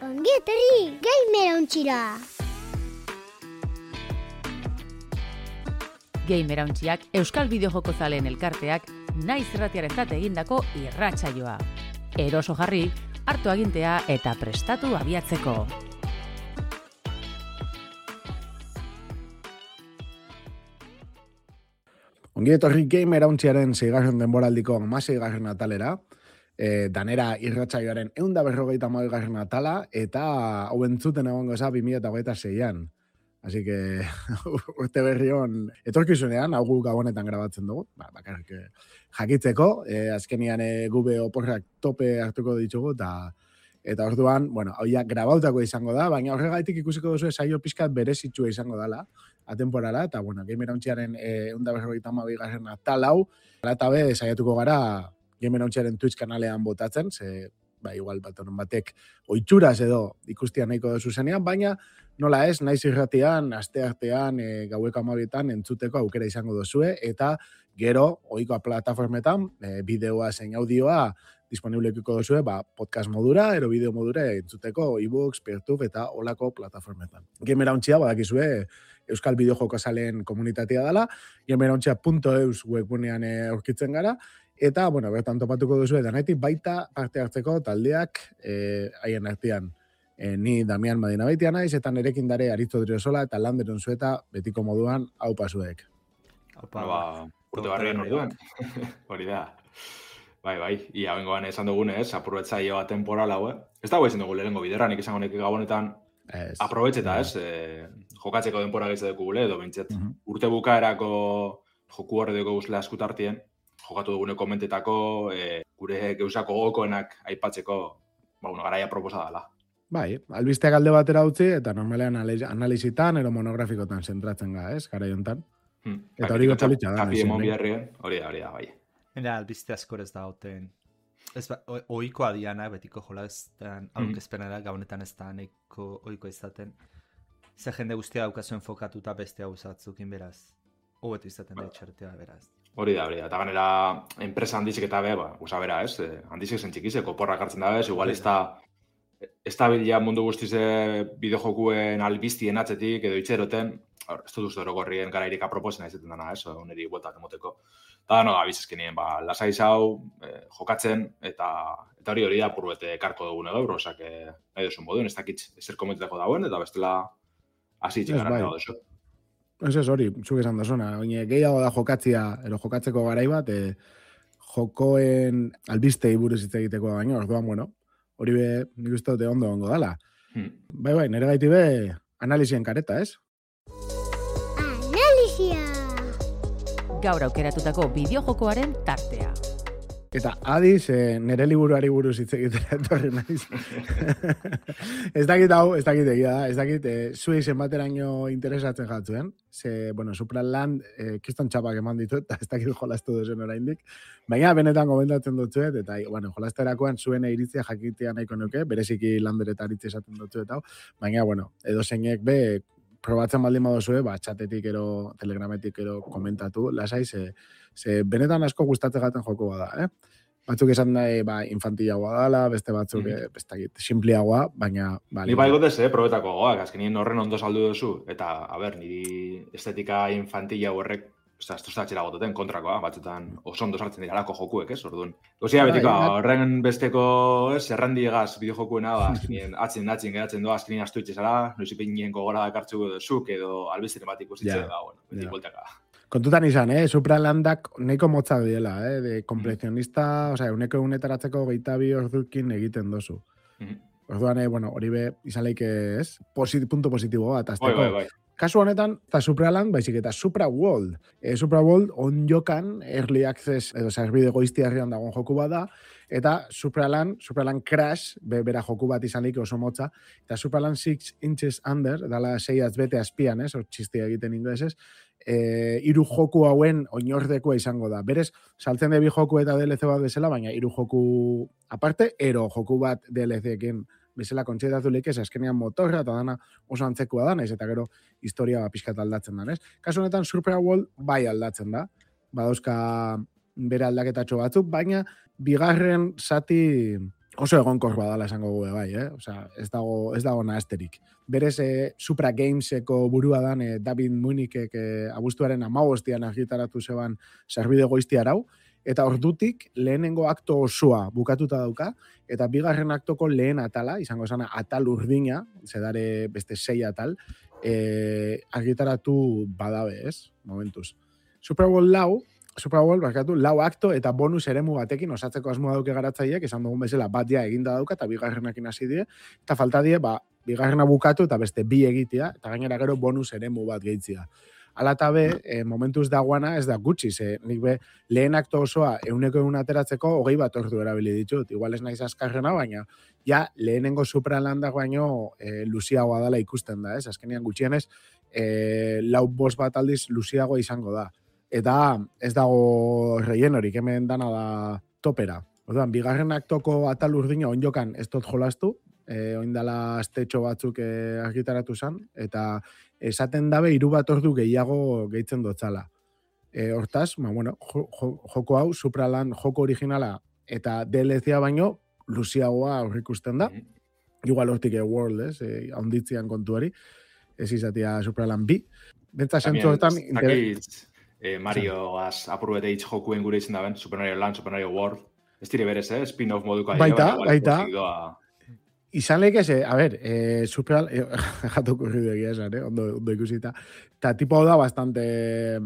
Ongi etorri, Gamerauntxira! Gamerauntxiak Euskal Bideojoko zaleen elkarteak naiz irratiarentzat egindako irratsaioa. Eroso jarri, hartu agintea eta prestatu abiatzeko. Ongi etorri Gamerauntxiaren 6. denboraldiko 16. atalera, danera irratsaioaren 150. atala, eta hau entzuten egongo eza 2026an. Así que, urte berri hon, etorkizunean, hau gu gabonetan grabatzen dugu, bakarrik jakitzeko, azkenian gube oporrak tope hartuko ditugu, eta orduan, bueno, hau ja grabautako izango da, baina horregaitik ikusiko duzu saio pixkat berezitsua izango dala, atemporala, eta, bueno, Gamerauntxiaren 150. atal hau, eta be, saiatuko gara Gamerauntxiaren Twitch kanalean botatzen, ze, igual bat honen batek oitxuraz edo ikustia nahiko duzu zenean, baina nola ez, naiz irratian, asteartean, gaueko 12etan entzuteko aukera izango duzue, eta gero, ohikoa plataformetan, bideoa zein audioa disponiblekiko duzue, podcast modura, ero bideo modura entzuteko ebooks, Peertube eta olako plataformetan. Gamerauntxia, badakizue, Euskal Bideojoko zaleen komunitatea dela, gamerauntxia.eus webgunean aurkitzen gara, eta, bueno, bertan topatuko duzue danetik baita parte hartzeko taldeak haien artean. Ni Damian Madina Baitia naiz, eta nerekin dare Aritzo Driosola eta Lander Unzueta betiko moduan hau pasuek. Urte barrien orduan. Hori da. Bai, ia bengoan esan dugunez, aprobetzaioa temporal hau, Ez dago izan dugu lehenengo bidera, nik izango nek gabonetan aprobetxeta, jokatzeko denpora gaitza dekugule, edo bintxet. Urte bukaerako joku horre dugu guzlea eskutartien, jokatu dugune komentetako, gure geusako gokoenak aipatzeko, garaia proposa dela. Bai, albisteak alde batera utzi, eta normalean analizitan, ero monografikotan zentratzen ga, garai hontan. Eta hori gotxalitza da. Hori da, bai. Era, albiste askor ez da hoten. Oikoa diana, betiko jolazten aurkezpenera, gabonetan ez da neko oiko izaten. Ze jende guztia daukazuen enfokatuta beste hau zatzukin beraz. Hobetu izaten da etxertea beraz. Hori da. Eta ganera, enpresa handizik eta usa bera, handizik zen txikizeko, porrak hartzen da, igual ez da bila mundu guztize bideojokuen albiztien atzetik, edo itxeroten, ez dut uste gorrien garairik aproposena izaten dana, oneri bueltak emoteko. Eta abizezkenien, lasai zau, jokatzen, eta hori da purbete karko dugune gaur, osak nahi duzun moduen, ez dakit ezer komentetako dauen, eta bestela hasi itxikarak dago duzu. Ez hori, zuk esan dazuna, gehiago da jokatzia, ero jokatzeko garai bat, jokoen albistei buruz hitz egiteko baino, orduan, bueno, hori be, nik uste dute ondo dala. Bai, nire gaiti be, analizien kareta, ez? Analizia! Gaur aukeratutako bideojokoaren tartea. Eta adiz, nire liburuari buruz hitz egitera etorri naiz. Ez dakit egia da, ez dakit, zuei zenbateraino interesatzen jatzuen. Ze, bueno, Supraland, kiston txapak eman ditut, eta ez dakit jolastu duzen oraindik. Baina benetan komentatzen dutzuet, eta, bueno, jolasterakoan zuen iritzia jakitea nahiko nuke, bereziki Lander eta Aritz esaten dutzuet hau. Baina, bueno, edo zeinek be, probatzen baldin badozue, txatetik ero, telegrametik ero komentatu, lasai, ze benetan asko gustatzen gaten joko bada, Batzuk esan nahi, infantilagoa dala, beste batzuk, bestakit, simpliagoa, baina... Ni gotez, probetako goak, azkenien horren ondo saldu duzu, eta, niri estetika infantila horrek, ez da txera gototen kontrakoa, batzutan oso ondo sartzen dira lako jokuek, orduan. Gozia betiko, horren besteko, errandiegaz bideojokuena, azkenien atzin geratzen doa, azkenien astu itxezara, noizipinien gogora dakartzuko duzuk, edo albizteren bat ikusitzen, betik bueltaka. Kontutan izan, Supralandak nahiko motzak diela, de komplezionista, uneko unetaratzeko 22 ordukin egiten dozu. Orduan, hori be, izan leike ez, punto positibo bat, azteko. Bai. Kasu honetan, eta Supraland, baizik eta Supraworld. Supraworld on jokan, early access, edo zerbide goiztiarrian dagoen joku bat da, eta Supraland Crash, bera joku bat izan leike oso motza, eta Supraland 6 inches under, dala 6 bete azpian, hor txistia egiten inglesez, 3 joku hauen oinordekoa izango da. Berez, saltzen de bi joku eta DLC bat bezala, baina 3 joku aparte, ero joku bat DLC-ekin bezala kontxetatu leikez, azkenean motorra eta dana oso antzekoa da, naiz eta gero historia pixkat aldatzen da, ez? Kasu honetan Supraworld bai aldatzen da, badauzka bere aldaketatxo batzuk, baina bigarren zati oso egonkor badala esango gu bai, Osea, ez dago nahasterik. Berez, Supra Gameseko burua dan David Munikek abuztuaren 15 argitaratu zeban sarbide goizti arau, eta ordutik lehenengo akto osoa bukatuta dauka, eta bigarren aktoko lehen atala, izango esana atal urdina, zedare beste 6 atal, argitaratu badabe, ez? Momentuz. Super Bowl lau akto eta bonus eremu batekin osatzeko asmoa dauke garatzaileek, esan dugun bezala bat ja eginda dauka eta bigarrenakin hasi die, eta falta die, bigarrena bukatu eta beste bi egitea, eta gainera gero bonus eremu bat gehitzia. Ala eta be, momentuz dagoana ez da gutxi, nik be, lehen akto osoa 100 ateratzeko 20 ordu erabili ditut, igual ez naiz azkarrena, baina ja lehenengo Supralandak baino luziagoa dela ikusten da, ez? Azkenean gutxienez, 4-5 bat aldiz luziagoa izango da. Eta ez dago reienorik, hemen dana da topera. Orduan, bigarren aktoko atal urdina onjokan ez dut jolastu, oindala astetxo batzuk argitaratu zen, eta esaten dabe 3 bat ordu gehiago gehitzen dotzala. Hortaz, joko hau, Supraland joko originala eta DLC-a baino, luziagoa aurrikusten da. Igual hortik World, haunditzian kontuari, ez izatea Supraland B. Bentsa sentzu hortan... Marioaz apurbete hitz jokuen gure izan daben, Super Mario Land, Super Mario World. Ez dire berez, spin-off moduko. Baita. Izan lehik eze, a ber, jatu kurridu egia esan, ondo ikusita. Eta tipo hau da bastante,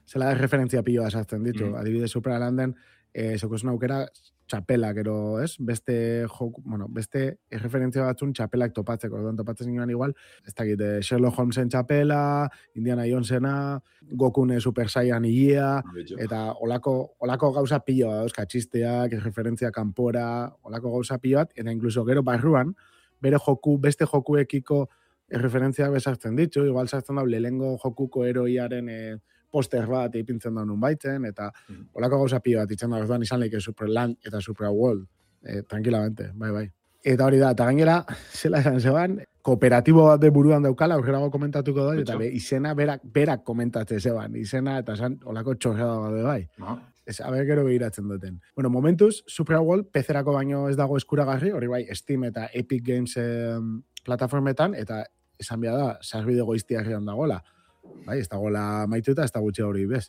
zela de referentzia pilloa sartzen ditu. Adibidez, Supralanden, zokozun aukera, txapelak, ero, ez? Beste referentzia batzun txapelak topatzeko. Orduan topatzen ginoan igual, ez dakit, Sherlock Holmesen txapela, Indiana Jonesena, Gokune Super Saiyan igia, eta olako gauza pilloa, dauzka, txisteak, referentzia kanpora, olako gauza pilloat, eta inkluso gero barruan, beste jokuekiko referentziak bezartzen ditu, igual sartzen da, lehengo jokuko heroiaren poster bat ipintzen da nun baitzen, eta olako gauza pio bat itzen da, orduan izan leike Superland eta Super World, tranquilamente, bai. Eta hori da, eta gainera, zela esan zeban, kooperatibo bat de buruan daukala, aurrerago komentatuko da, eta izena berak komentatze zeban, izena eta esan olako txorrada bat bai. Ez, haber gero behiratzen duten. Bueno, momentuz, Super World, PC-erako baino ez dago eskuragarri, hori bai, Steam eta Epic Games plataformetan, eta esan behar da, sarbide goiztiarrian dagoela. Bai, ez dagoela maituta, ez da gutxi hori bez.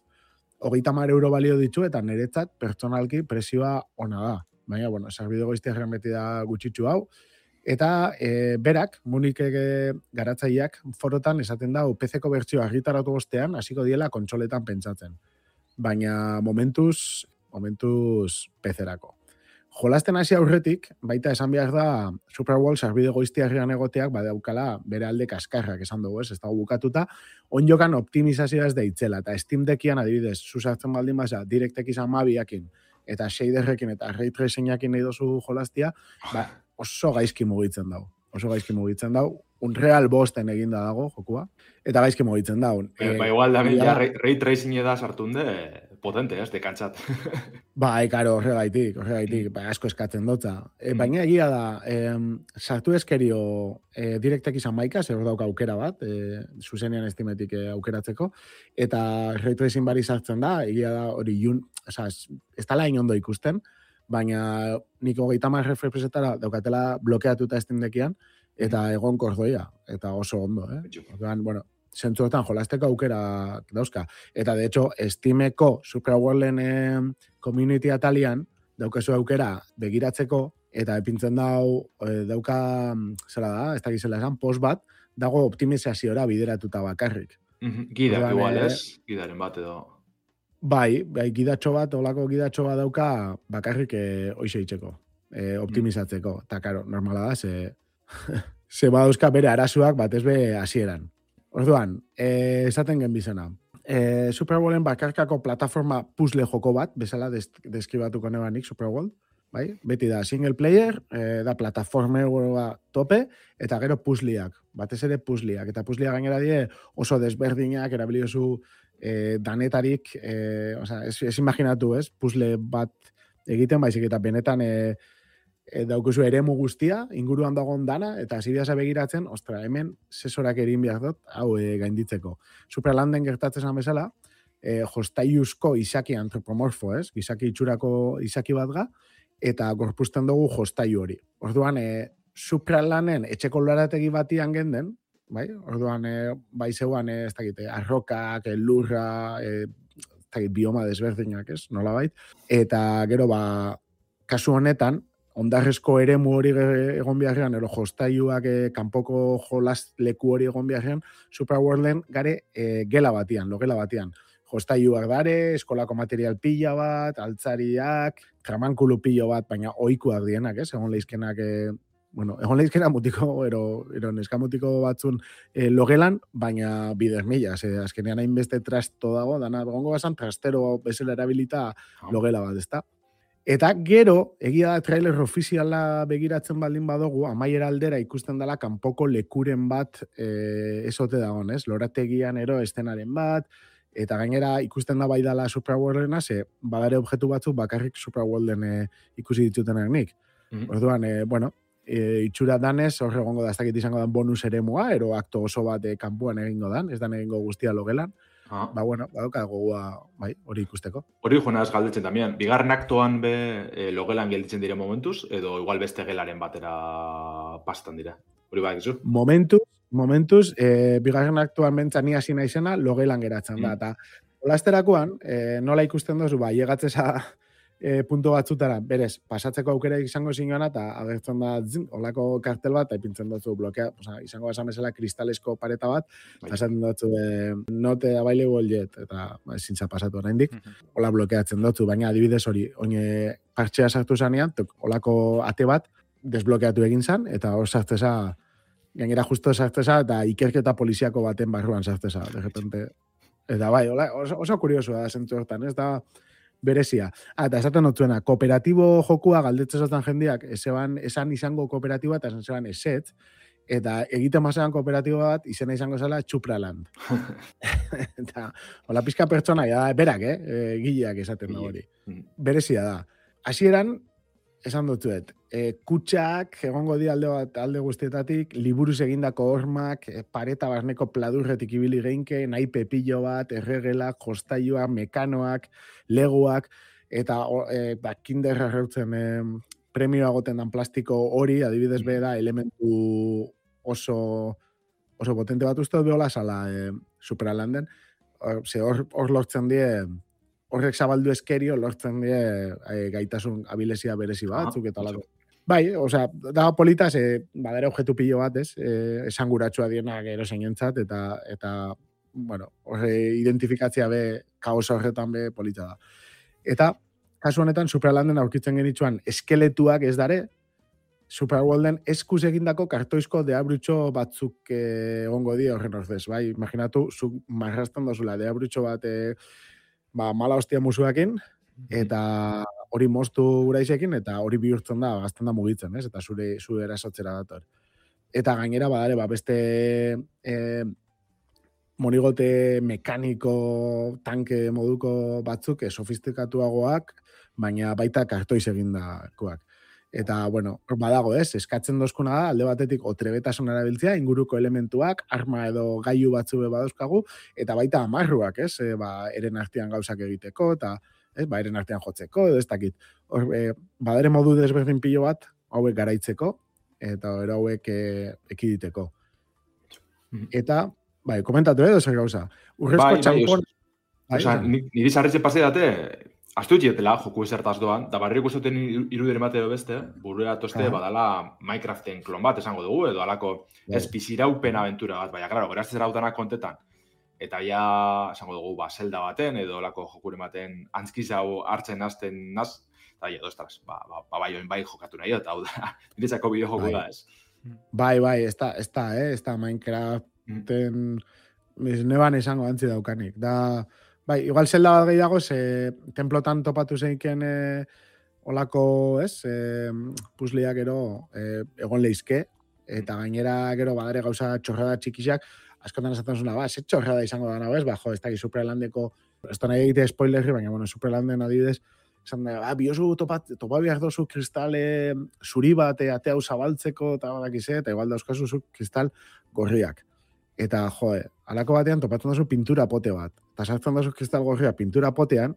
30 euro balio ditu eta niretzat pertsonalki presioa ona da. Baina, bueno, sarbide goiztiarrian beti da gutxitxu hau. Eta berak, Munikek garatzaileak forotan esaten da, PC-ko bertzioa argitaratu ostean, hasiko diela kontsoletan pentsatzen. Baina momentuz PC-erako. Jolasten hasi aurretik, baita esan behar da Super Bowl sarbide goiztiarrian egoteak badaukala bere alde kaskarrak esan dugu, ez dago bukatuta, onjokan optimizazioa ez da itzela, eta Steam Deckian adibidez, zuzartzen baldin baza, DirectX 12ekin, eta shaderrekin eta ray tracingakin nahi dozu jolastia, oso gaizki mugitzen dau. Unreal Bosten eginda dago, jokua, eta gaizki mugitzen dau. Igual da, ray tracing eda sartunde, potente, ez, dekantzat. Karo, horregaitik, asko eskatzen dotza. Baina egia da, sartu eskerio DirectX 11, zer dauka aukera bat, zuzenean estimetik aukeratzeko, eta ray tracing bari sartzen da, egia da, hori ez tala inondo ikusten, baina nik 30 refresetara daukatela blokeatuta Steam Deckian, eta egon kordoia, eta oso ondo, Orduan, bueno, zentzuetan jolasteko aukera dauzka. Eta, de hecho, Steameko Super Worlden community atalian daukazu aukera begiratzeko, eta epintzen dauka, zela da, ez dakizela esan, post bat, dago optimizaziora bideratuta bakarrik. Gida, igual ez, gidaren bat edo. Bai, gidatxo bat, olako gidatxo bat dauka bakarrik hoxe itxeko, optimizatzeko. Eta, karo, normala da, ze badauzka bere arazuak batez be hasieran. Orduan, esaten gen bizena. Super Bowlen bakarkako plataforma puzzle joko bat, bezala deskribatuko nebanik Super Bowl, bai? Beti da single player, da plataformer tope, eta gero puzzleak, batez ere puzzleak. Eta puzzleak gainera die oso desberdinak, erabiliozu danetarik, ez imaginatu, ez? Puzzle bat egiten, baizik eta benetan daukuzu eremu guztia, inguruan dagoen dana, eta zibiasa begiratzen, ostra, hemen sesorak erin behar dut, hau gainditzeko. Superlanden gertatzen bezala, jostaiuzko izaki antropomorfo, ez? Izaki itxurako izaki bat ga, eta gorpuzten dugu jostailu hori. Orduan, Supralanen etxeko lorategi batian genden, bai? Orduan, bai zeuan, ez dakit, arrokak, lurra, bioma desberdinak, ez? Nolabait. Eta gero, kasu honetan, ondarrezko eremu hori egon beharrean, ero jostailuak kanpoko jolas leku hori egon beharrean, Superworlden gare gela batian, logela batian. Jostailuak dare, eskolako material pila bat, altzariak, tramankulu pilo bat, baina ohikoak dienak, ez? Egon leizkenak, egon leizkenak mutiko, ero neskamutiko batzun logelan, baina bider mila, azkenean hainbeste trasto dago, dana egongo bazan trastero bezala erabilita logela bat, ezta? Eta gero, egia da trailer ofiziala begiratzen baldin badugu, amaiera aldera ikusten dela kanpoko lekuren bat esote dagoen, ez? Lorategian estenaren bat, eta gainera ikusten da bai dela Superworldena, badare objektu batzuk bakarrik Superworlden ikusi ditutenak nik. Orduan, itxura danez, horre egongo da, ez dakit izango dan bonus eremua, ero akto oso bat kanpoan egingo dan, ez dan egingo guztia logelan. Badoka gogoa, hori ikusteko. Hori joan ez galdetzen también. Bigarren aktoan logelan gelditzen dire momentuz, edo igual beste gelaren batera pastan dira. Hori bai, gizu? Momentuz, bigarren aktuan bentzani hasi naizena, logelan geratzen da. Eta olasterakoan, nola ikusten dozu, llegatzeza punto batzutara, berez, pasatzeko aukera izango zingoana, eta agertzen da, olako kartel bat, eta ipintzen dutzu blokea, izango basan bezala kristalesko pareta bat, pasatzen dutzu, not available yet, eta zintza pasatu oraindik, hola blokeatzen dutzu, baina adibidez hori, oine partxea sartu zanean, olako ate bat, desblokeatu egin zan, eta hor sartzeza, gainera justo sartzeza, eta ikerketa poliziako baten barruan sartzeza, de repente. Eta bai, oso kuriosoa da zentzu hortan, ez da berezia. Eta esaten notzuena, kooperatibo jokua galdetzen jendeak, esan izango kooperatiboa, eta esan esetz, eta egiten mazean kooperatibo bat, izena izango zela Supraland. Eta, hola pizka pertsona, berak, gileak esaten da hori. Berezia da. Hasieran, esan dutzuet, kutxak, egongo di alde guztietatik, liburuz egindako hormak, pareta barneko pladurretik ibili geinke, nahi pepillo bat, erregelak, jostailuak, mekanoak, leguak, eta kinderra reutzen premioa goten dan plastiko hori, adibidez da elementu oso potente bat uste behola sala Superlanden, hor lortzen die, horrek zabaldu eskerio lortzen die gaitasun abilezia berezi batzuk eta lako. Bai, da polita, badera objektu pilo bat, esanguratsua dienak erosenentzat, eta identifikatzia kaos horretan polita da. Eta, kasu honetan, Superlanden aurkitzen genitzuan eskeletuak ez dare, Superworlden eskuz egindako kartoizko deabrutxo batzuk egongo di horren ordez, bai? Imaginatu, zuk marrazten dozula deabrutxo bat mala hostia musuakin, eta hori moztu uraizekin, eta hori bihurtzen da, gazten da mugitzen, ez? Eta zure erasotzera dator. Eta gainera, badare, beste monigote mekaniko tanke moduko batzuk, sofistikatuagoak, baina baita kartoiz egindakoak. Eta, badago, eskatzen dozkuna da, alde batetik otrebetasun erabiltzea, inguruko elementuak, arma edo gailu batzu badauzkagu, eta baita amarruak, eren artean gauzak egiteko, eta eren artean jotzeko, edo ez dakit. Badare modu desberdin pilo bat, hauek garaitzeko, eta hauek ekiditeko. Eta, komentatu edo zer gauza. Urrezko txampon... Niri zarretxe pase date, astu etxetela, joku ezertaz doan, da barri ikusten irudire mate edo beste, burura toste badala Minecraften klon bat esango dugu, edo alako espiziraupen aventura bat, baina, klaro, beraz zerautanak kontetan, eta ja, esango dugu, zelda baten, edo alako jokure baten antzkizau hartzen hasten naz, eta ja, dostras, bai jokatu nahi, eta hau da, niretzako bideo joku da, ez. Bai, ez da Minecraften, neban esango antzi daukanik, da... Bai, igual zelda bat gehiago, templotan topatu zeiken olako, puzliak egon leizke, eta gainera gero badare gauza txorrada txikixak, askotan esaten zuna, ze txorrada izango da nago, ez da, Superlandeko, ez da nahi egite spoilerri, baina, Superlanden adibidez, esan da, biozu topa behar dozu kristale zuri bat, ate hau zabaltzeko, eta badakize, eta igual dauzkazu zu kristal gorriak. Eta, alako batean topatzen duzu pintura pote bat. Eta sartzen duzu kristal gorria pintura potean,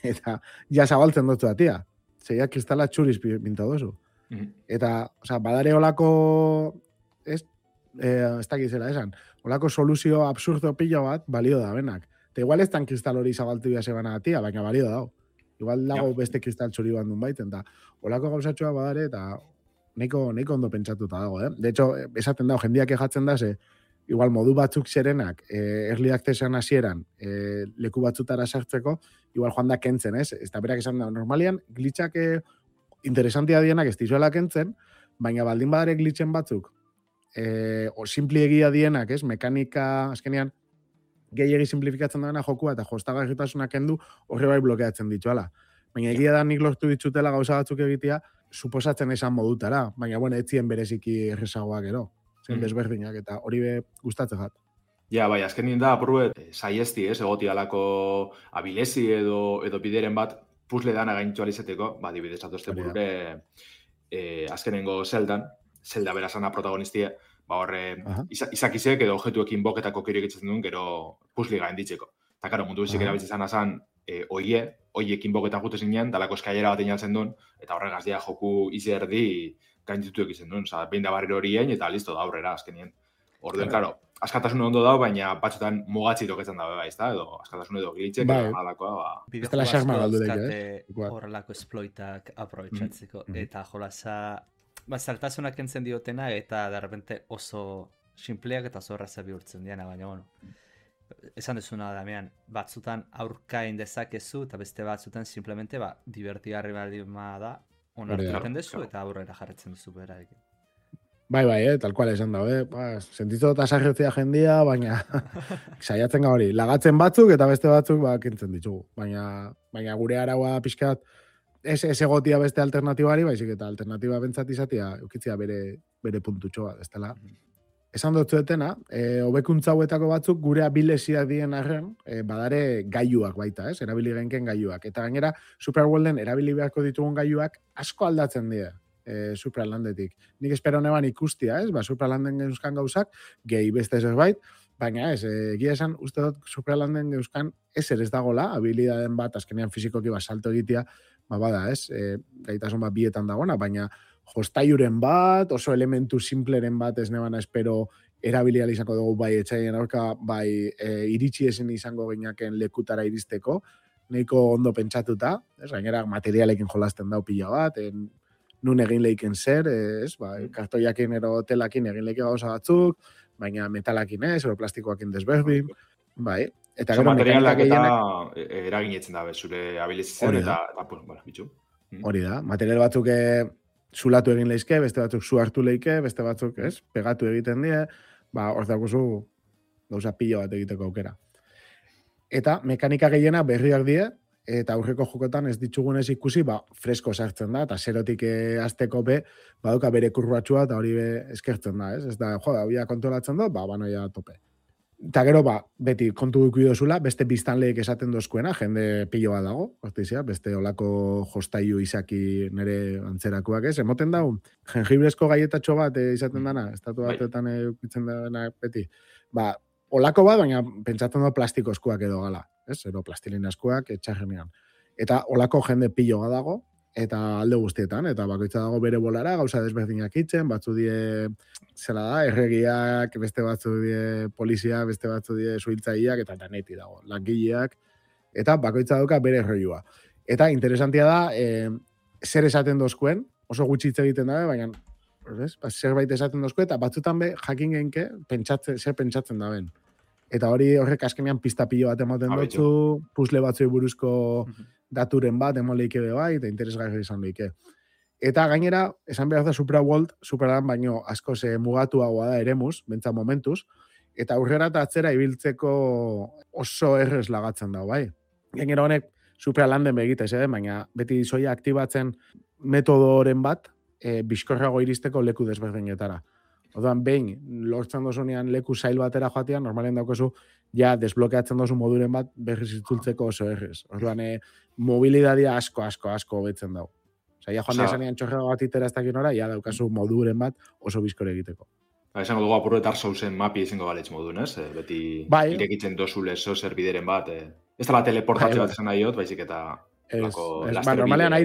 eta ja zabaltzen dutzu atia. zeia kristala txuriz pinta dozu. Eta, badare olako, ez dakit zela esan, olako soluzio absurdo pila bat, balio da, benak. Eta igual ez tan kristal hori zabaltu bia sebana gatia, baina balio da. Igual dago beste kristal txuri bandun baiten, eta olako gauzatxoa badare, eta neko ondo pentsatuta dago, De hecho, esaten dago, jendiak ejatzen da, igual modu batzuk zerenak, early accessan hasieran, leku batzutara sartzeko, igual joan da kentzen, ez? Ez da berak esan da, normalian, glitchak interesantia dienak ez dizuela kentzen, baina baldin badare glitchen batzuk, o simpli egia dienak, ez? Mekanika, azkenean, gehiagi simplifikatzen dena jokua eta jostagarritasunak kendu horre bai blokeatzen dituala. Baina egia da nik lortu ditutela gauza batzuk egitea, suposatzen esan modutara, baina etzien bereziki errezagoak gero. Zen desberdinak eta hori be gustatzen jat. Ja, bai, azkenin da, apurruet, saiesti, egoti alako abilezi edo bideren bat puzle dana gaintu alizeteko, dibidez atozte burure azkenengo Zelda berazana protagonistia, horre izakizek edo objetuekin boketako kiro egitzen duen, gero puzli gainditzeko. Eta, karo, mundu bizik erabiltzen zan oiekin boketa jute zinen, dalako eskailera bat inaltzen duen, eta horregaz dia joku izerdi gainditu egiten duen. Behin da barriro horien, eta listo da aurrera azkenien. Orduen, karo, askatasun ondo dago, baina batzutan mugatzi toketzen dabe bai, edo askatasun edo gilitzek, alakoa, horrelako esploitak aprobetsatzeko. Eta jolasa, zaltasunak entzen diotena, eta derrepente oso simpleak eta oso erraza bihurtzen diana, baina, esan dezuna Damian, batzutan aurkain dezakezu, eta beste batzutan simplemente, divertigarri baldima da, onartu egiten dezu, eta aurrera jarretzen duzu berarekin. Bai, tal cual esan da, sentitu eta sarretzea jendia, baina saiatzen hori, lagatzen batzuk eta beste batzuk kentzen ditugu. Baina gure araua pixkat, ez egotia beste alternatibari, baizik eta alternatiba bentsat izatea, eukitzea bere puntutxoa, ez dela. Esan dut zuetena, hobekuntza hauetako batzuk gure abilesiak dien arren, badare gailuak baita, ez? Erabili genken gailuak. Eta gainera, Superworlden erabili beharko ditugun gailuak asko aldatzen dira. Supralandetik. Nik espero neban ikustia, ez? Supralanden geuzkan gauzak, gehi beste zerbait, baina ez, egia esan, uste dut Supralanden geuzkan ezer ez dagola, habilidaden bat, azkenean fizikoki salto egitea, bada, ez? Gaitasun bat bietan dagoena, baina jostaiuren bat, oso elementu simpleren bat ez nebana espero erabilial izango dugu bai etxaien aurka, bai iritsi esen izango ginaken lekutara iristeko, nahiko ondo pentsatuta, ez? Gainera materialekin jolasten dau pila bat, nun egin leiken zer, kartoiakin ero telakin egin leike gauza batzuk, baina metalakin ez, ero plastikoakin desberdin, bai. Eta gero materialak eta eraginetzen dabe, zure abilizitzen eta bitxu. Hori da, material batzuk zulatu egin leizke, beste batzuk zu hartu leike, beste batzuk, pegatu egiten die, hor dakuzu gauza pilo bat egiteko aukera. Eta mekanika gehiena berriak die, eta aurreko jokotan ez ditugunez ikusi, fresko sartzen da, eta zerotik azteko baduka bere kurbatxua, eta hori eskertzen da, ez? Ez da, hobia kontrolatzen da, banoia tope. Eta gero, beti kontu ikuido zula, beste biztanleek esaten dozkuena, jende pilo bat dago, beste olako jostaiu izaki nere antzerakoak ez, emoten dago, jengibrezko gaietatxo bat izaten dana, estatu batetan eukitzen dana beti. Olako bat, baina pentsatzen da plastikozkoak edo gala, ez? Ero plastilinazkoak etxarrenean. Eta olako jende pilo dago, eta alde guztietan, eta bakoitza dago bere bolara, gauza desberdinak itzen, batzu die, zela da, erregiak, beste batzu die polizia, beste batzu die suhiltzaileak, eta daneti dago, langileak, eta bakoitza dauka bere erroiua. Eta interesantia da, zer esaten dozkuen, oso gutxi hitz egiten dabe, baina zerbait esaten dozkuen, eta batzutan jakin genke, zer pentsatzen daben. Eta horrek azkenean pista pilo bat ematen dutzu, puzle batzui buruzko daturen bat, emon leike bai, eta interesgarri izan leike. Eta gainera, esan behar da Superland baino asko mugatuagoa da eremuz, bentsa momentuz, eta aurrera eta atzera ibiltzeko oso errez lagatzen da, bai. Gainera honek Superlanden begitez, baina beti zoia aktibatzen metodoren bat, bizkorrago iristeko leku desberdinetara. Orduan, behin, lortzen dozunean leku zail batera joatean, normalen daukezu, ja, desblokeatzen dozu moduren bat, berriz itzultzeko oso errez. Orduan, mobilidadia asko hobetzen dago. Osa, ja, joan desanean txorrega bat itera ez dakin ora, ja, daukazu moduren bat oso bizkore egiteko. Esango dugu apurro eta Souls-en mapi izango galetz modun, ez? Beti irekitzen dozule zer bideren bat. Ez da teleportatze bat esan nahi hot, baizik eta... Normalean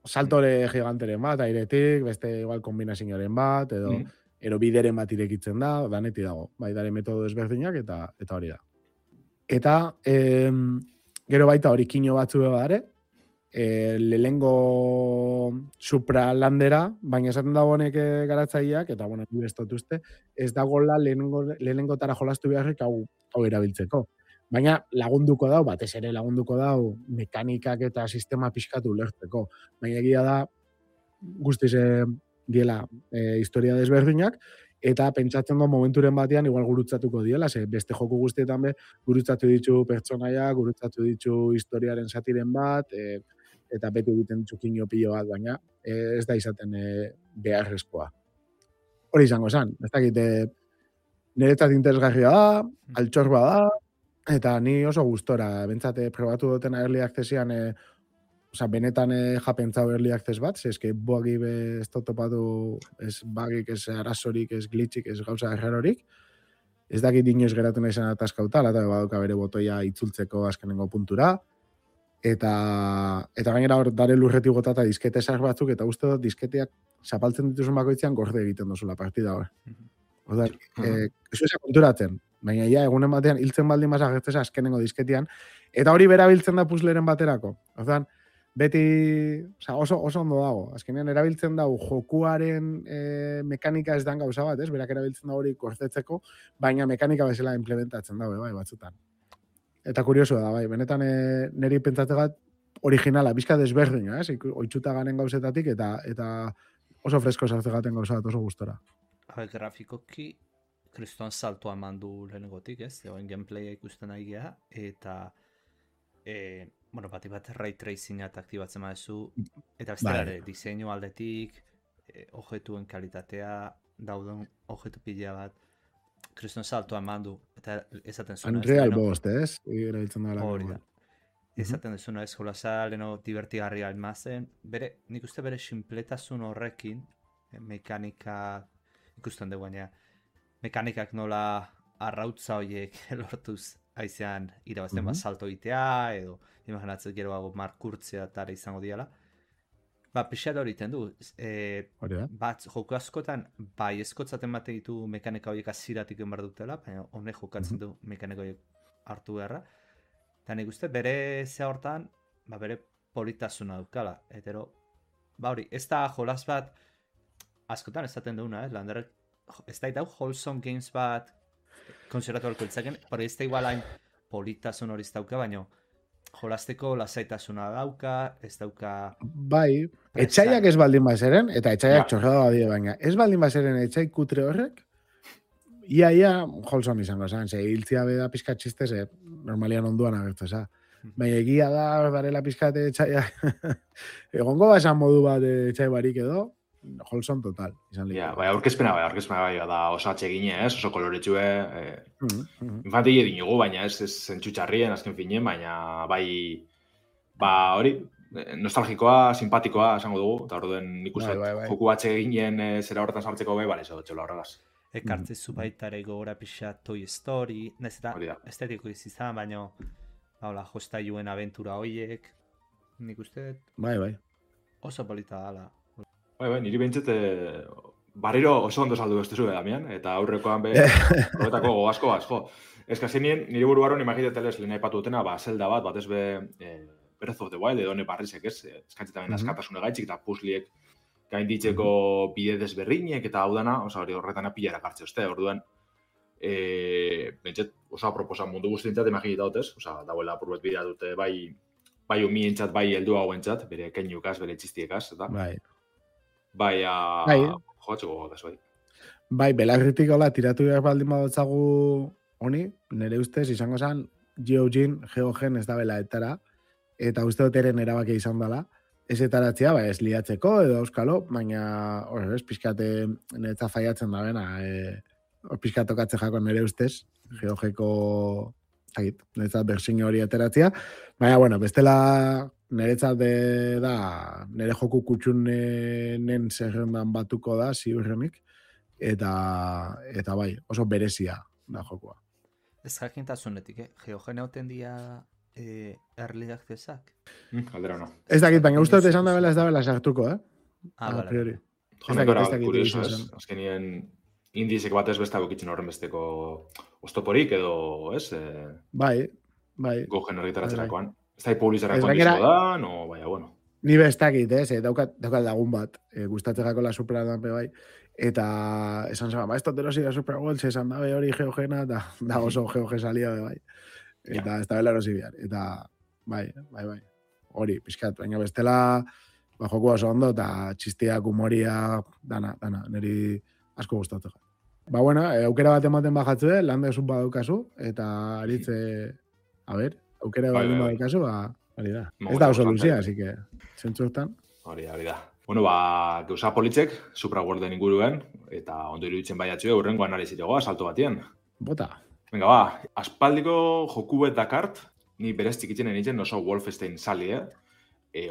saltore giganteren bat, airetik, beste igual kombinazioaren bat, edo bideren bat irekitzen da, daneti dago. Bai, dare metodo ezberdinak eta hori da. Eta gero baita hori kino batzu badare, lehengo supralandera, baina esaten dago honek garatzaileak, eta bueno, bestotuzte, ez dagoela lehenengotara jolastu beharrik hau erabiltzeko. Baina lagunduko dau, batez ere lagunduko dau, mekanikak eta sistema pixkatu ulertzeko. Baina egia da, guztiz diela historia desberdinak, eta pentsatzen du momenturen batean igual gurutzatuko diela, ze beste joku guztietan be gurutzatu ditu pertsonaia, gurutzatu ditu historiaren zatiren bat, eta beti egiten txukinio pilo bat, baina ez da izaten beharrezkoa. Hori izango zen, ez dakit, niretzat interesgarria da, altxorba da, eta ni oso gustora, bentsate probatu duten early accessian, benetan japentzau early access bat, eske boagi ez topatu, ez bagik, ez arazorik, ez glitchik, ez gauza errarorik, ez dakit inoiz geratu nahi zen ataskauta, eta baduka bere botoia itzultzeko azkenengo puntura, eta gainera hor dare lurretik gota eta diskete esar batzuk, eta uste dut disketeak zapaltzen dituzun bakoitzean gorde egiten duzula partida hor. Oda, ez konturatzen, baina ja, egunen batean hiltzen baldin basa gertzeza azkenengo disketian, eta hori berabiltzen da puzzleren baterako. Oda, beti oso ondo dago. Azkenean erabiltzen dago jokuaren mekanika ez dan gauza bat, ez? Berak erabiltzen dago hori kortetzeko, baina mekanika bezala implementatzen dago, bai, batzutan. Eta kurioso da, bai, benetan niri pentsatzegat originala, bizka desberdina, ez? Oitzuta garen gauzetatik eta oso fresko sartzegaten gauza bat oso gustora. Grafikoki, kriston saltoa mandu lehenengotik, ez? Egoen gameplaya ikusten nahi geha, eta bati bat ray tracinga aktibatzen badezu, eta beste diseinu aldetik, objetuen kalitatea, dauden objetu pila bat, kriston saltoa mandu, eta esaten zuen. Unreal bost, ez? Erabiltzen da hori da. Esaten dezuna ez, jolasa leno divertigarria almazen, nik uste bere sinpletasun horrekin, mekanika ikusten dugu baina, mekanikak nola arrautza horiek lortuz aizean irabazten bat salto itea, edo imaginatzen gero hago markurtzea tara izango diala. Pixat hori iten du. Bat joku askotan, bai eskotzaten bate ditu mekanika horiek aziratik enbar dutela, baina honek jokatzen du mekanika horiek hartu beharra. Eta nik uste bere zea hortan, bere politasuna dukala. Etero, hori, ez da jolas bat, askotan esaten duguna, landerrek, ez da itau wholesome games bat, konsideratu alko ditzaken, pero ez da igualain politasun hori ez dauka, baina jolasteko lasaitasuna dauka, ez dauka... Bai, etxaiak ez baldin bazeren, eta etxaiak txorrada badie baina, ez baldin bazeren etxai kutre horrek, ia wholesome izango zen, ze hiltzia beda pizkat txistez, normalian onduan agertu eza. Baina egia da, darela pizkat etxaia, egongo basan modu bat etxai barik edo, wholesome total. Bai, aurkezpena da oso atsegine, ez? Oso koloretxue, infantile dinugu, baina ez zentxutxarrien azken finien, baina bai, hori, nostalgikoa, simpatikoa, esango dugu, eta orduen nik uste joku atseginen zera horretan sartzeko bai, bale, txola horregaz. Ekartze zu baitare gogora pixa Toy Story, ez da, estetiko izizan, baina jostailuen aventura hoiek, nik uste... Bai. Oso polita dala. Bai, niri behintzet, barriro oso ondo saldu bestezu Damian, eta aurrekoan horretako asko. Ez kazenien, niri buruaron imagiteteles lehen aipatu dutena, Zelda bat ez Breath of the Wild, edo neparrizek, ez? Eskatzetamen askatasune gaitxik eta puzzliek gainditzeko bide desberrinek, eta hau dana, hori horretan apilara kartze uste, orduan, behintzet, oso aproposan mundu guztientzat imagiteta dut, ez? Dauela apurbet bidea dute, bai umientzat, bai heldu hauentzat, bere keinukaz, bere txistiekaz, eta... Joatzeko gogotaz, bai. Bai, belarritik hola, tiratu behar baldin badotzagu honi, nire ustez, izango zen, Geogen ez da bela etara, eta uste dut eren erabakia izan dela, ez etaratzea, ez liatzeko, edo euskalo, baina, pixkate niretza faiatzen da bena, pixkatokatze jako nire ustez, Geogeko, niretzat bersin hori ateratzea, baina, bestela niretzat da, nire joku kutxunen zerrendan batuko da, ziurrenik, eta bai, oso berezia da jokua. Ez jakintasunetik, Geogen hauten dia early accessak? Aldera no. Ez dakit, baina uste dut esan da bela sartuko, Ah, a vale. priori. Jo, nekora, kurioso, ez? Azkenien indizek batez besta bukitzen horren besteko oztoporik edo, ez? Bai. Gogen argitaratzerakoan. Ez da publizarakoan dizio da, no, baina, bueno. Ni bestakit, daukat lagun bat, gustatzerako la Supera dan bai, eta esan zaba, esto te lo siga Super Bowl, esan dabe hori geogena, da oso geoge salia bai. Eta ez da bela erosi bihar. Eta, bai. Hori, pixkat, baina bestela, joku oso ondo, eta txistiak, humoria, dana, niri asko gustatzen. Ba, bueno, aukera bat ematen bajatzu, lande zut badaukazu, eta aritze, aukera bat badaukazu, hori da. Ez da oso luzia, así que, zentzuetan. Hori da. Bueno, gauza politzek, Supra Worlden inguruen, eta ondo iruditzen baiatxue, hurrengo analizitegoa, salto batien. Bota. Venga, aspaldiko joku bet dakart, ni berez txikitzen nintzen oso Wolfenstein sali,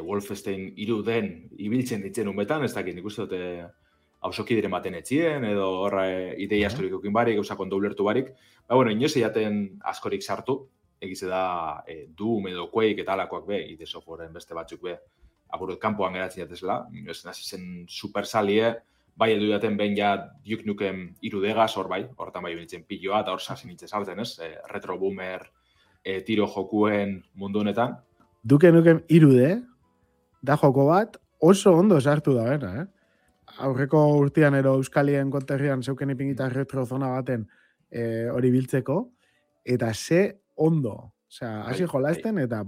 Wolfenstein iruden ibiltzen ditzen unbetan, ez dakit, nik uste dute hausoki diren baten etxien, edo horra idei askorik eukin barik, gauzak ondo ulertu barik. Ba, bueno, inoz eiaten askorik sartu, egize da Doom edo Quake eta alakoak be, ide softwareen beste batzuk be, apurut kanpoan geratzen jatezela, ez nazi zen super salie, bai edu jaten behin ja Duke Nukem irudegaz, hor bai, horretan bai benitzen piloa, eta hor sasi nintzen sartzen, ez? Retro boomer tiro jokuen mundu honetan. Duke Nukem irude, da joko bat oso ondo sartu da bena, Aurreko urtean ero Euskalien konterrian zeuken ipingita retrozona baten hori biltzeko, eta ze ondo, osea, hasi jolasten, eta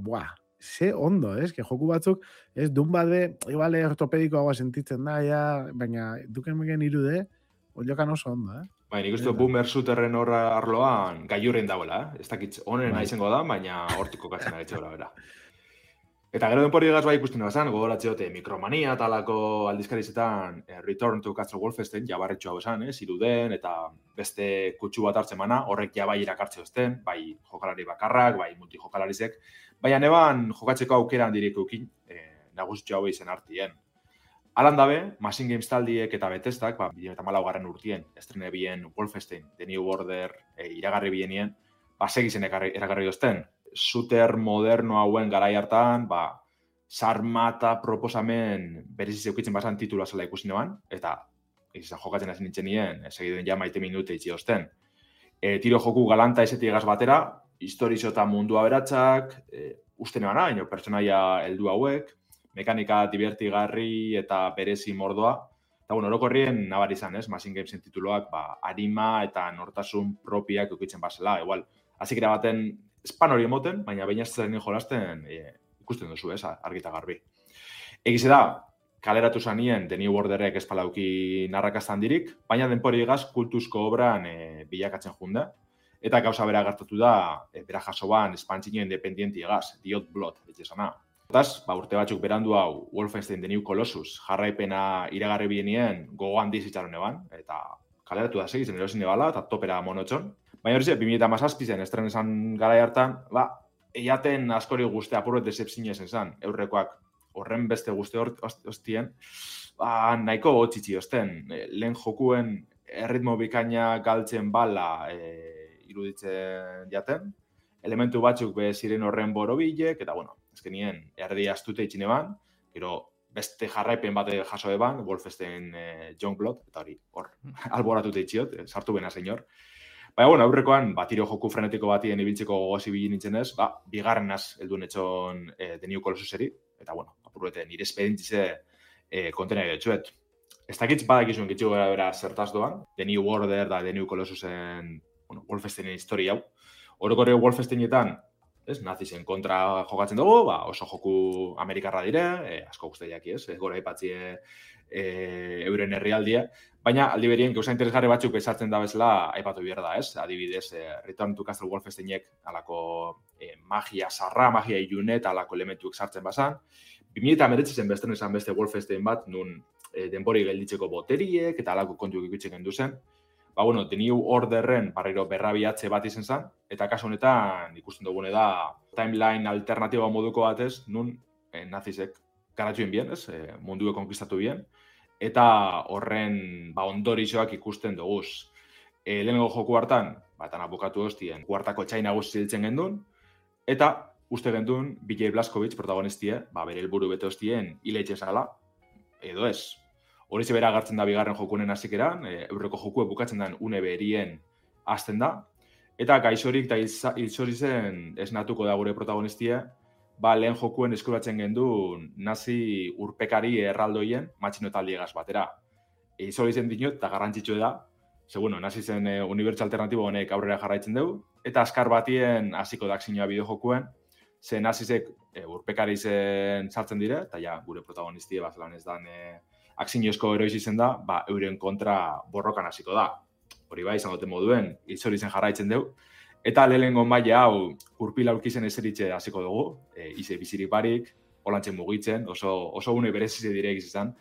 ze ondo, que joku batzuk, dun bat be, igual ortopedikoagoa sentitzen da, baina Duke Nukem irude, oliokan oso ondo, Bai, nik uste boomer shooterren horra arloan gailurren dauela, ez dakit honen izango da, baina hortiko katzen agetxe gora bera. Eta gero denpori egaz bai ikusten bazan, gogoratziote Mikromania talako aldizkarizetan Return to Castle Wolfenstein, jabarretxo hau esan, iruden, eta beste kutsu bat hartzen mana, horrek ja bai irakartze osten, bai jokalari bakarrak, bai multijokalarizek, baina neban jokatzeko aukera handirik eukin, nagusitxo hau izen hartien. Alan dabe, Machine Games taldiek eta Bethesdak, 2014 urtien, estrene bien Wolfenstein, The New Order, iragarri bienien, segizen eragarri dozten. Shooter moderno hauen garai hartan, sarmata proposamen bereziz eukitzen bazan titula zela ikusi neban, eta jokatzen hasi nintzen nien, segiduen ja maite minute itxi osten. Tiro joku galanta ezetik egaz batera, historizo eta mundua beratxak, uste nebana, ino pertsonaia heldu hauek, mekanika divertigarri eta berezi mordoa, eta orokorrien nabari izan, Machine Gamesen tituloak, arima eta nortasun propiak eukitzen bazela, igual, hazikera baten espan hori emoten, baina baina ez jolasten ikusten duzu, argita garbi. Egize da, kaleratu zanien The New Orderek espalauki narrakastan dirik, baina denpori egaz kultuzko obran bilakatzen junde, eta gauza bera gertatu da, bera jaso ban espantzino independienti egaz, Diot Blood, etxezana. Otaz, urte batzuk berandu hau Wolfenstein The New Colossus jarraipena iragarri bienien gogo handiz itxaron eban, eta kaleratu da segitzen erosin ebala, eta topera monotxon. Baina hori 2017 zen, estren esan garai hartan, eiaten askori guzti apurret decepzine esan, eurrekoak horren beste guzti hostien, nahiko hotxitxi osten, lehen jokuen erritmo bikaina galtzen bala iruditzen jaten, elementu batzuk be ziren horren borobilek, eta azkenien erdi astute itxine ban, gero beste jarraipen bat jaso eban, Wolfenstein Youngblood, eta hori, hor, alboratute itxiot, sartu bena senyor. Baina, aurrekoan, tiro joku frenetiko batien ibiltzeko gogozi bilin nintzen ez, bigarrenaz heldu netxon The New Colossuseri, eta, apurreten, nire espedintzize kontenea getxuet. Ez dakitz badakizuen getxu gara bera zertaz doan, The New Order da The New Colossusen Wolfensteinen historia hau. Orokorre Wolfensteinetan, nazizen kontra jokatzen dugu, oso joku amerikarra dire, asko guztiak gora ipatzie euren herrialdia, baina aldi berien gauza interesgarri batzuk ezartzen da bezala aipatu behar da, adibidez, Return to Castle Wolfensteinek alako magia sarra, magia ilunet, alako elementuak sartzen bazan. 2019 zen besten esan beste Wolfenstein bat, nun denbori gelditzeko boteriek eta alako kontuak ikutzen gendu zen. The New Orderren barriro berrabiatze bat izen zen, eta kasu honetan ikusten dugune da timeline alternatiba moduko batez, nun nazisek garatxuen bien, mundue konkistatu bien, eta horren ondorizoak ikusten duguz. Lehenengo joku hartan, eta bukatu hostien, kuartako txaina guzti ziltzen gendun, eta uste gendun, BJ Blazkowicz protagonistie, bere helburu bete hostien hiletxe zala, edo ez. Hori bera agertzen da bigarren jokunen hasikeran, eurreko jokue bukatzen den une berien hasten da, eta gaixorik eta hilzorizen esnatuko da gure protagonistie, lehen jokuen eskuratzen gendun nazi urpekari erraldoien matxino taldiegaz batera. Hilzorizen dinot, eta garrantzitsue da, nazi zen unibertsal alternatibo honek aurrera jarraitzen dugu, eta azkar batien hasiko da akzioa bideojokuen, ze nazizek urpekari zen sartzen dire, eta ja, gure protagonistie bazelan ez dan akzioezko eroiz izen da, euren kontra borrokan hasiko da. Hori bai, izan duten moduen, hilzorizen jarraitzen dugu, eta lehenengo maila hau urpil aurkizen ezeritxe hasiko dugu, ize bizirik barik, holantzen mugitzen, oso une berezize direk izan,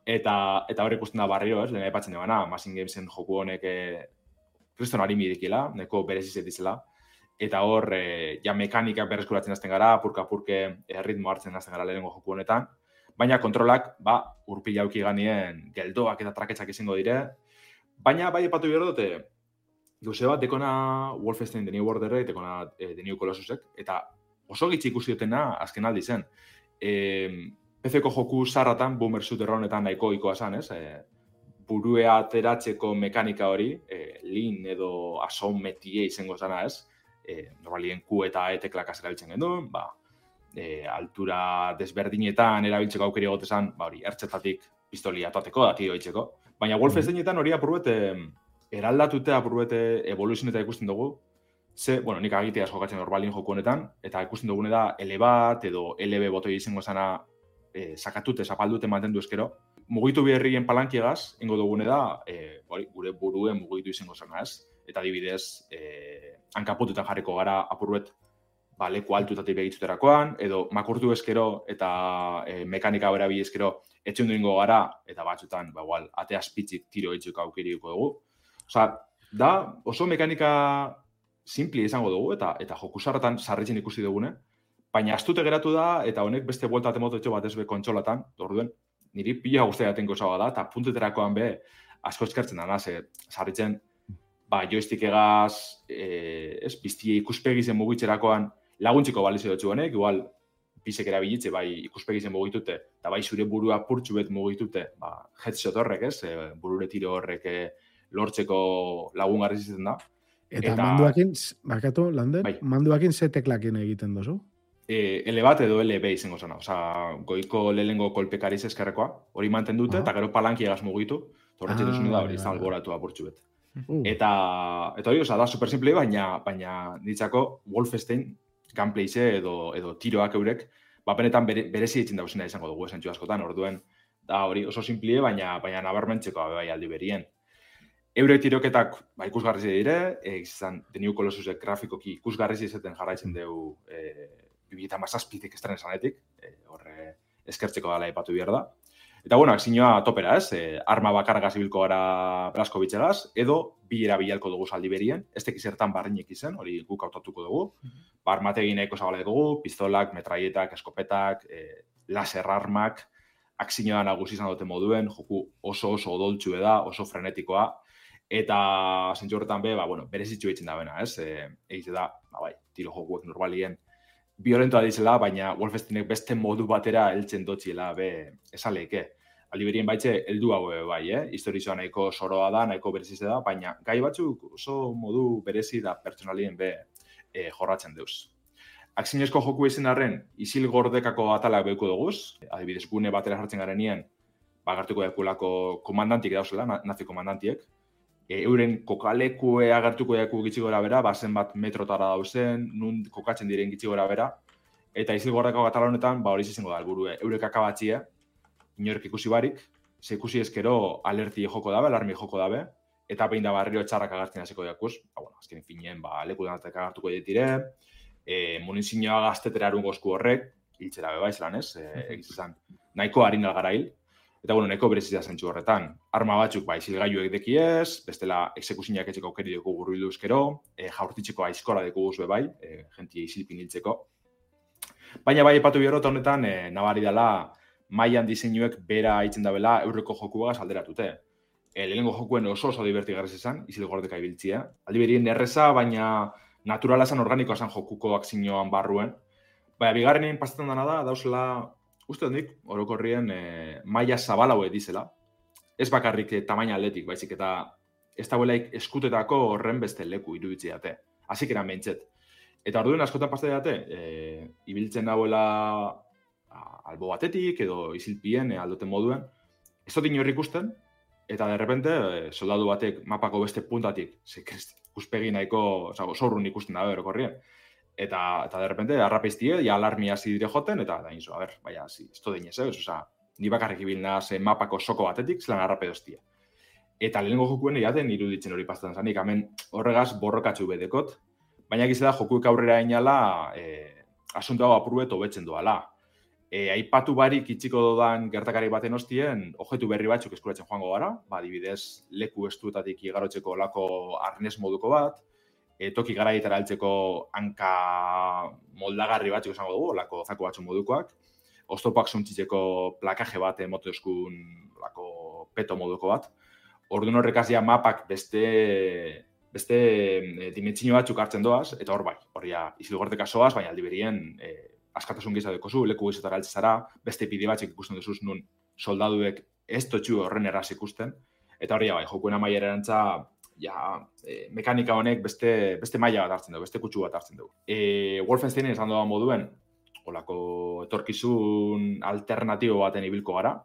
eta hor ikusten da barrio, lehen aipatzen dugana, Machine Gamesen joku honek kriston harimi dikila, neko berezize dizela, eta hor, ja mekanikak berreskuratzen hasten gara, apurka-apurke ritmo hartzen hasten gara lehenengo joku honetan, baina kontrolak, urpil auki ganien geldoak eta traketxak izango dire, baina bai epatu behar dute, gauze bat, dekona Wolfenstein The New Order, dekona The New Colossusek, eta oso gitzi ikusi dutena azken aldi zen. PC-ko joku zarratan, boomer shooter honetan nahiko ikoa zan, ez? Burue ateratzeko mekanika hori, lean edo asometie izango zana, ez? Normalien Q eta E teklak erabiltzen gendun, altura desberdinetan erabiltzeko aukeri egotezan, hori, ertzetatik pistolia atoateko, da tio itxeko. Baina Wolfensteinetan hori apurbete eraldatute, apurbete evoluzioneta ikusten dugu, nik agiteaz jokatzen normalien joku honetan, eta ikusten dugune da L bat edo LB botoi izango zana sakatute, zapaldute mantendu eskero. Mugitu beharrien palankiegaz, ingo dugune da, gure buruen mugitu izango zana, ez? Eta adibidez, hankapututan jarriko gara apurbet leku altutatik begitzuterakoan, edo makurtu eskero eta mekanika berabili eskero etxundu ingo gara, eta batzutan, ate azpitzik tiro itxuko aukiriko dugu. Da oso mekanika simpli izango dugu, eta jokusarratan sarritzen ikusi dugune, baina astute geratu da, eta honek beste buelta temototxo bat ezbe kontsolatan, orduen, niri pila guztia jatenko zagoa da, eta punteterakoan asko eskertzen dana, sarritzen, joystick egaz, biztie ikuspegizen mugitzerakoan laguntziko balizio dutxu honek, igual, bizek erabilitze, ikuspegizen mugitute, eta zure burua purtsu bet mugitute, headshot horrek, ez, burure tiro horrek lortzeko lagungarri zitzen da. Eta manduakin, bakatu, Lander, manduakin ze teklakin egiten dozu? L bat edo LB izango zena. Goiko lehengo kolpekariz eskerrekoa, hori mantendute, eta gero palankiegaz mugitu, torretxe duzun da hori, alboratu apurtxu bet. Eta hori, da super simple, baina ditzako Wolfenstein gameplayze edo tiroak eurek, benetan berezi ditzen dauzena izango dugu esentxu askotan, orduen, da hori oso simple, baina nabarmentzeko aldi berien. Eurek tiroketak ikusgarri dire, izan The New Colossusek grafikoki ikusgarri izaten jarraitzen dugu 2017 estren zanetik, horre eskertzeko dala ipatu behar da. Eta akzioa topera, ez? Arma bakargaz ibilko gara Blazkowitzegaz, edo bilera bilalko dugu saldi berien, ez tekiz zertan barrinek izen, hori guk hautatuko dugu. Armategi nahiko zabale dugu, pistolak, metraietak, eskopetak, laser armak, akzioa nagusi izan dute moduen, joku oso odoltxue da, oso frenetikoa, eta zentzu horretan berezitxu egiten da bena, ez? Egize da, tiro jokuek normalien violentoa dizela, baina Wolfensteinek beste modu batera heltzen dotziela esaleike. Aldi berien baitze, heldu hau historizoa nahiko soroa da, nahiko berezize da, baina gai batzuk oso modu berezi da pertsonalien jorratzen deuz. Akzioezko joku izan arren, isil gordekako atalak behuko duguz, adibidez gune batera jartzen garenien, agertuko dekulako komandantik dauzela, nazi komandantiek, euren kokalekue agertuko deku gitzi gora bera, bazen bat metrotara dauzen, nun kokatzen diren gitzi gora bera, eta isil gordekako atala honetan, hori izango da, helburu eurek akabatxia, inorek ikusi barik, ze ikusi ezkero alerti joko dabe, alarmi joko dabe, eta behin da barriro txarrak agertzen hasiko dakuz, azken finien, leku denatek agertuko ditire, munizioa gaztetera erun gozku horrek, hiltzera beba izan, ez? Egizizan, nahiko harin algarail, eta nahiko berezizia zentzu horretan. Arma batzuk, zilgailuek dekiez, bestela exekusinak etxeko aukeri dugu gurbildu ezkero, jaurtitzeko aizkora dugu guzue jentia izilpin hiltzeko. Baina epatu biorrota honetan, nabari dela, mailan diseinuek bera haitzen dabela eurreko jokuagaz alderatute. Lehenengo jokuen oso divertigarrez izan, izil gordeka ibiltzia. Aldi berien erreza, baina naturala zan organikoa zan jokuko akzioan barruen, Baina, bigarrenean pasatzen dena da, dauzela, uste hondik, orokorrien maila zabalaue dizela. Ez bakarrik tamaina atletik, baizik eta ez dagoelaik eskutetako horren beste leku iruditzi date. Hasik eran behintzet. Eta orduan askotan paste date, ibiltzen dagoela albo batetik edo izilpien aldoten moduen, ez dut inorri ikusten, eta derrepente soldadu batek mapako beste puntatik, ikuspegi nahiko, zorrun ikusten da orokorrien. Eta derrepente arrapeiztie, ja alarmi hasi dire joten, eta da inzo, baina, ez dut dinez, ni bakarrik ibilna mapako soko batetik, zelan arrape doztia. Eta lehenengo jokuen egaten iruditzen hori pastetan zanik, hemen horregaz borrokatzu bedekot, baina gizela jokuek aurrera inala asunto hau apurubet hobetzen doala. Aipatu barik itxiko dodan gertakari baten ostien, objektu berri batzuk eskuratzen joango gara, adibidez leku estuetatik igarotzeko lako arnez moduko bat, toki garaietara heltzeko hanka moldagarri batzuk esango dugu, lako zako batzuk modukoak, oztopak zuntzitzeko plakaje bat moto eskun lako peto moduko bat. Orduan horrekaz ja mapak beste dimentsio batzuk hartzen doaz, eta hor bai, horria izilgorteka soaz, baina aldi berien askatasun gehiago dekozu, leku gehiago altzara, beste pide batzuk ikusten duzuz nun soldaduek ez totxu horren erraz ikusten, eta horria bai, jokuen amaiera erantza, mekanika honek beste maila bat hartzen dugu, beste kutsu bat hartzen dugu. Wolfensteinen esan doa moduen, olako etorkizun alternatibo baten ibilko gara,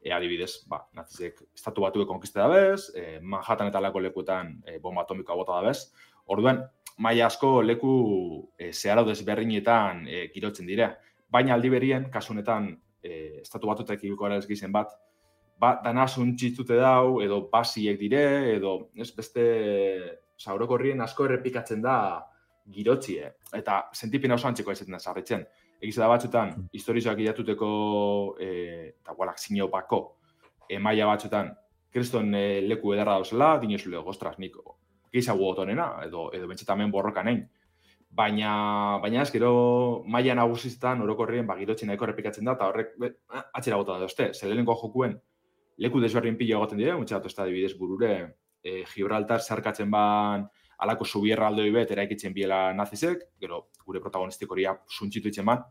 adibidez, nazizek estatu batuek konkiste dabez, Manhattan eta lako lekuetan bomba atomikoa bota dabez. Orduan, maila asko leku zeharau desberdinetan girotzen dire. Baina aldi berien, kasunetan, estatu batuetak ibilko gara ez gizen bat, dana zuntzitzute dau, edo basiek dire, edo beste orokorrien asko errepikatzen da girotzie. Eta sentipena oso antzeko aizetan da sarritzen. Egiz da batzutan, historizoak idatuteko eta gualak zinopako maila batzutan, kriston leku edarra dauzela, dinezule, ostras, nik gehiago otonena, edo bentsetamen borroka nahin. Baina ez, gero maila nagusizetan orokorrien girotzen nahiko errepikatzen da, eta horrek atxera bota da dozte. Zelelenko jokuen leku desberdin pila egoten dire, mutxatu ez da adibidez burure, Gibraltar zarkatzen ban alako subierra aldoi bet eraikitzen biela nazizek, gero gure protagonistik horia suntzitu itzen ban,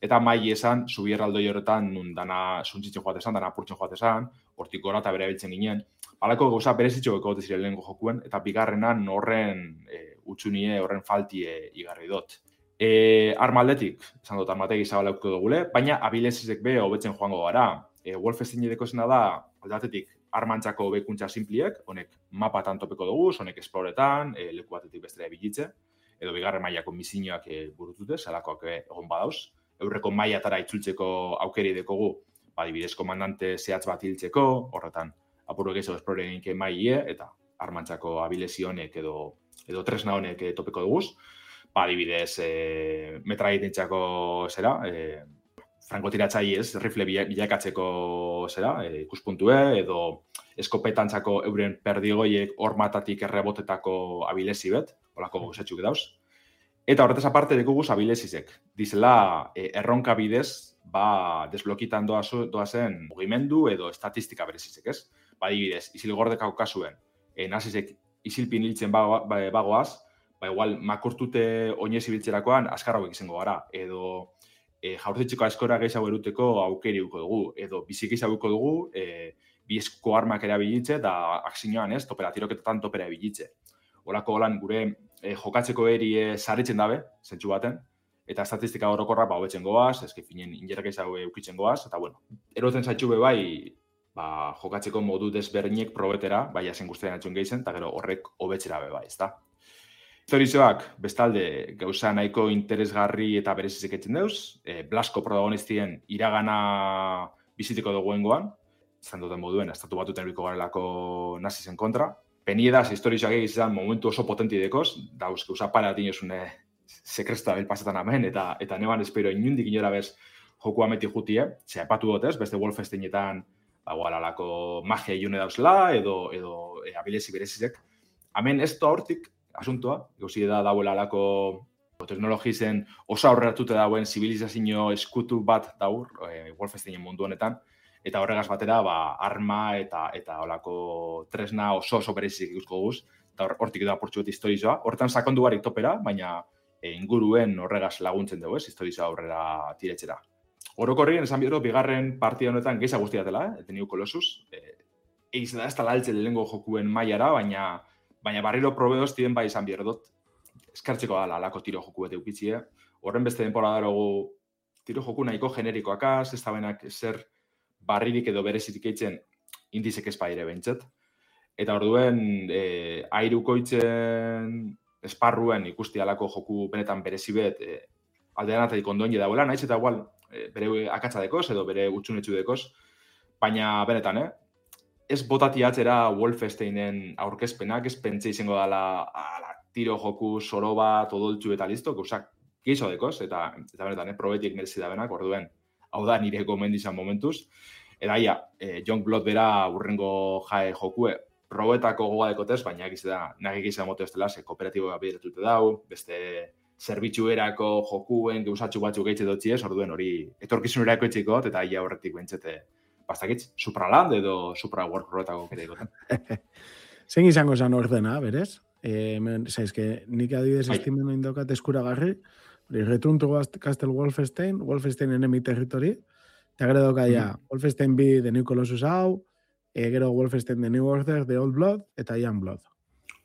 eta mai esan subierra aldoi horretan nun dana suntzitzen joatesan, dana apurtzen joatesan, hortik gora eta bere biltzen ginen. Alako gauza berezitxo egote ziren lehenko jokuen, eta bigarrenan horren utsunie, horren faltie igarri dut. Armaldetik, esan dut armategi zabalauko dugule, baina abilezizek be hobetzen joango gara. Wolfenstein edeko zena da, aldatetik, armantzako bekuntza simpliek, honek mapatan topeko dugu, honek esploretan, leku batetik bestera ebilitze, edo bigarren mailako misioak burutute, zelakoak egon badauz. Eurreko mailatara itzultzeko aukeri dekogu, adibidez komandante zehatz bat hiltzeko, horretan apurro gehiago esplore eginke mailie, eta armantzako abilezi honek edo tresna honek topeko duguz. Adibidez, metraietentzako zera, frankotiratzailez, rifle bilakatzeko zera, ikuspuntue, edo eskopetantzako euren perdigoiek hormatatik errebotetako abilezi bet, holako gozatxuk dauz. Eta horretaz aparte dekuguz abilezizek. Dizela, erronka bidez, desblokitan doazen mugimendu edo estatistika berezizek, ez? Adibidez, izilgordekako kasuen, nazizek izilpin hiltzen bagoaz, igual makurtute oinez ibiltzerakoan askarra hauek izango gara, edo jaurtitzeko askora gehiago eruteko aukeri uko dugu, edo bizik izan dugu, bizko armak erabilitze, da akzinoan ez, topera, tiroketetan topera erabilitze. Olako holan gure jokatzeko eri sarritzen dabe, zentsu baten, eta estatistika orokorra hobetzen goaz, ezke finen injerrak ezago eukitzen goaz, eta bueno, eroten zaitxu be bai, jokatzeko modu desberdinek probetera, bai azen guztien atxun gehizen, eta gero horrek hobetzera be bai, ezta? Historizoak, bestalde, gauza nahiko interesgarri eta berezizek etzen deuz, Blasko protagonistien iragana bizitiko duguengoan, izan duten moduen, estatu batuten eriko garelako nazizen kontra. Peniedaz, historizoak egizan momentu oso potenti dekoz, dauz, gauza para dinozune sekresta belpasetan amen, eta neban espero inundik inora bez joku ameti jutie, ze aipatu dut ez, beste Wolfensteinetan alako magia iune dauzela, edo abilezi berezizek. Hemen ez da hortik, asuntoa, gauzi da dauela alako teknologizen oso aurreratute dauen zibilizazio eskutu bat daur, Wolfensteinen mundu honetan, eta horregaz batera, arma eta olako tresna oso berezik ikusko guz, eta hortik da apurtxu bat historizoa. Hortan sakondu barik topera, baina inguruen horregaz laguntzen dugu, historiza aurrera tiretxera. Orokorrien esan bidoro, bigarren partida honetan geiza guztiatela, The New Colossus. Eiz da, ez tala altze lehengo jokuen mailara, baina barriro probeoz tiren bai izan bierdot. Eskartzeko da, alako tiro joku bete ukitzie. Horren beste denpora darogu tiro joku nahiko generikoakaz, ez da benak zer barririk edo berezitik eitzen indizek espaire behintzet. Eta orduen, airukoitzen esparruen ikusti alako joku benetan berezibet aldean atatik ondoen jedauela, naiz eta igual bere akatsa dekoz edo bere utxunetxu dekoz, baina benetan, ez botati atzera Wolfensteinen aurkezpenak, ez pentsa izango dela tiro joku soro bat, odoltxu eta listo, gauzak geizo dekoz, eta benetan, probetik merezi da benak, orduen, hau da nire gomendizan momentuz, eta ia, Youngblood bera urrengo jae jokue, probetako goga dekotez, baina egiz da, nagik izan moto ez dela, ze kooperatiboa bideratute dau, beste zerbitzuerako jokuen geusatxu batzuk geitze dutzi ez, orduen hori etorkizunerako etxikot, eta ia horretik bentsete, bastakitz, Supraland edo Supra World-roetako kere ikoten. Zein izango zan ordena, berez? Zaizke, nik adibidez estimen indokat eskuragarri, Return to Castle Wolfenstein, Wolfenstein Enemy Territory, eta gero dokaia, Wolfenstein 2 The New Colossus hau, gero Wolfenstein The New Order, The Old Blood, eta Youngblood.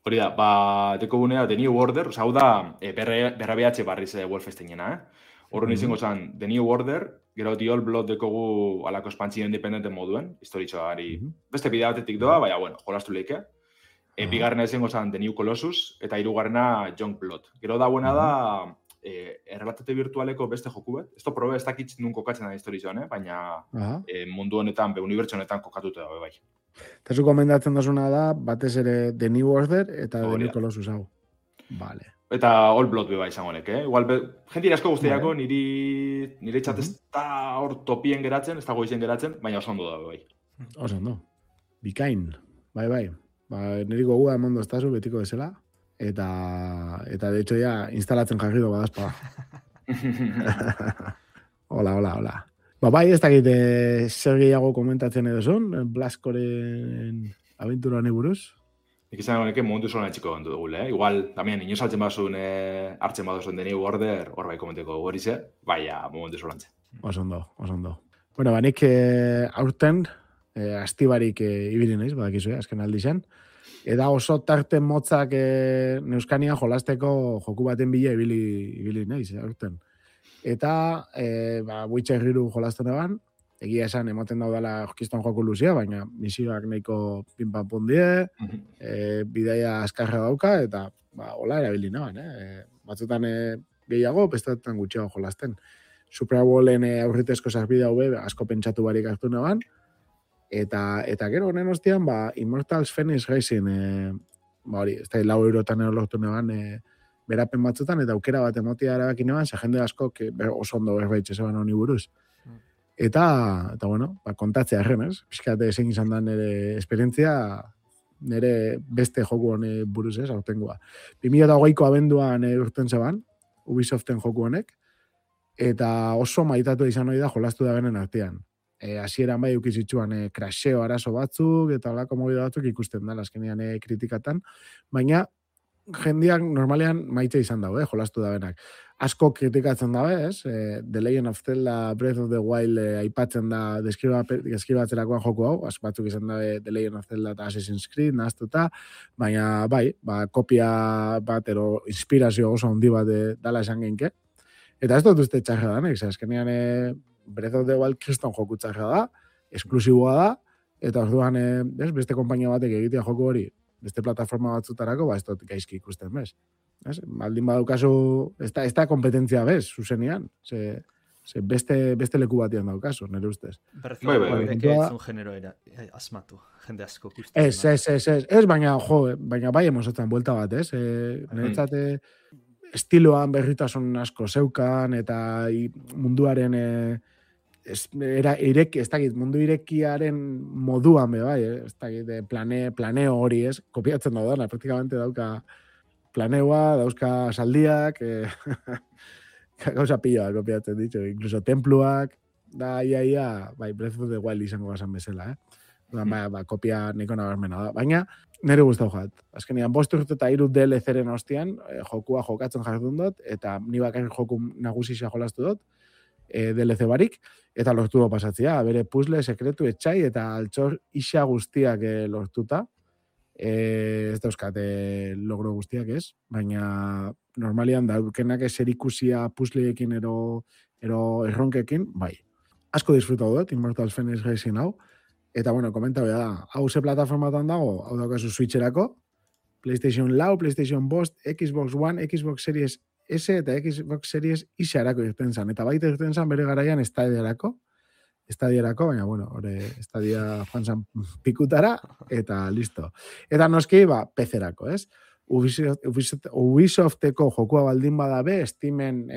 Hori da, deko gunea The New Order, hau da, berrabeatxe barriz Wolfensteinena, Horren izango zen The New Order, gero The Old Blood dekogu alako espantzio independenten moduen, historitxoari beste bidea batetik doa, baina, bueno, jolastu leike. Bigarrena izango zen The New Colossus, eta hirugarrena Youngblood. Gero da buena da, errelatate virtualeko beste joku bet. Esto probe ez dakitz nun kokatzen da historitxoan, baina mundu honetan, unibertso honetan kokatuta dago, bai. Eta zu komendatzen dozuna da, batez ere The New Order eta The New Colossus hau. Vale. Eta Old Blood beba izango honek, Igual, jenti asko guztiako nire txat ez da hor topien geratzen, ez dago izen geratzen, baina oso ondo da, bai. Oso ondo. Bikain. Bai. Niri gogua emondo estazu betiko bezala. Eta de hecho ya instalatzen jarri do badazpa. Hola. Bai, ez dakit zer gehiago komentatzen edo zon, Blaskoren aventura honi buruz. Nik izan honeke momentu zolan txiko gantu dugule, Igual, tamien, inoz altzen bazun hartzen badozun The New Order, hor bai komenteko gorize, baina momentu zolan txe. Oso ondo. Bueno, nik aurten, astibarik ibili naiz, badakizu, azken aldi zen, eta oso tarte motzak Neuskania jolasteko joku baten bila ibili naiz, aurten. Eta, Witcher 3 jolastu neban, egia esan ematen daudala orkiston joku luzia, baina misioak nahiko pinpapun die, bidaia askarra dauka, eta hola erabili neban, batzutan gehiago, bestetan gutxiago jolasten. Supra Wallen aurritezko sarbide hau asko pentsatu barik hartu neban, eta gero honen ostian, Immortals Phoenix Rising, hori, ez da, 4 eurotan lortu neban, berapen batzutan, eta aukera bat emotia erabaki neban, ze jende asko oso ondo berbaitxe zeban honi buruz. Eta bueno, kontatzea erren, ez? Piskate zein izan da nire esperientzia, nire beste joku honi buruz, ez, aurtengoa. 2008ko abenduan urten zeban, Ubisoften joku honek, eta oso maitatu izan hori da jolastu da benen artean. Hasieran bai ukizitzuan crasheo arazo batzuk, eta holako mobido batzuk ikusten da, azkenean kritikatan, baina jendeak normalean maite izan dago, jolastu da benak. Asko kritikatzen dabe, ez? The Legend of Zelda Breath of the Wild aipatzen da deskribatzerakoan joku hau, batzuk izan dabe The Legend of Zelda eta Assassin's Creed nahaztuta, baina bai, kopia bat ero inspirazio oso handi bat dala esan genke. Eta ez dut uste txarra da, nek, azkenean Breath of the Wild kriston joku txarra da, esklusiboa da, eta orduan beste konpainia batek egitea joku hori, beste plataforma batzutarako, ez dut gaizki ikusten, bez? Baldin badaukazu, ez da kompetentzia bez, zuzenean, ze beste leku batian daukazu, nire ustez. Berrezko ez un genero asmatu, jende asko ikusten. Ez, baina bai emozatzen buelta bat, ez? Niretzat estiloan berritasun asko zeukan, eta munduaren ez dakit, mundu irekiaren moduan, bai, ez dakit, planeo hori, ez? Kopiatzen daudana, praktikamente dauka planeoa, dauzka saldiak, gauza pila kopiatzen ditu, incluso templuak, da ia, bai, Breath of the Wild izango bazan bezala, Kopia niko nabarmena da. Baina, nire guztau jat. Azkenean, 5 urte eta 3 DLC-ren ostian, jokua jokatzen jardun dut, eta ni bakarrik joku nagusisa jolastu dut, DLC barik, eta lortu do pasatzea, bere puzzle, sekretu, etxai, eta altxor isa guztiak lortuta. Ez dauzkate logro guztiak ez, baina normalian daukenak eserikusia puzzleekin ero erronkekin, bai. Asko disfrutau dut, Immortals Phoenix Rising hau, eta bueno, komentau da, hau ze plataformatan dago, hau daukazu Switcherako, PlayStation 4, PlayStation 5, Xbox One, Xbox Series S eta Xbox Series X-arako irten zan, eta baita irten zan bere garaian estadiarako, baina bueno, estadia joan zan pikutara, eta listo. Eta noski, PC-erako, ez? Ubisofteko jokua baldin badabe, Steamen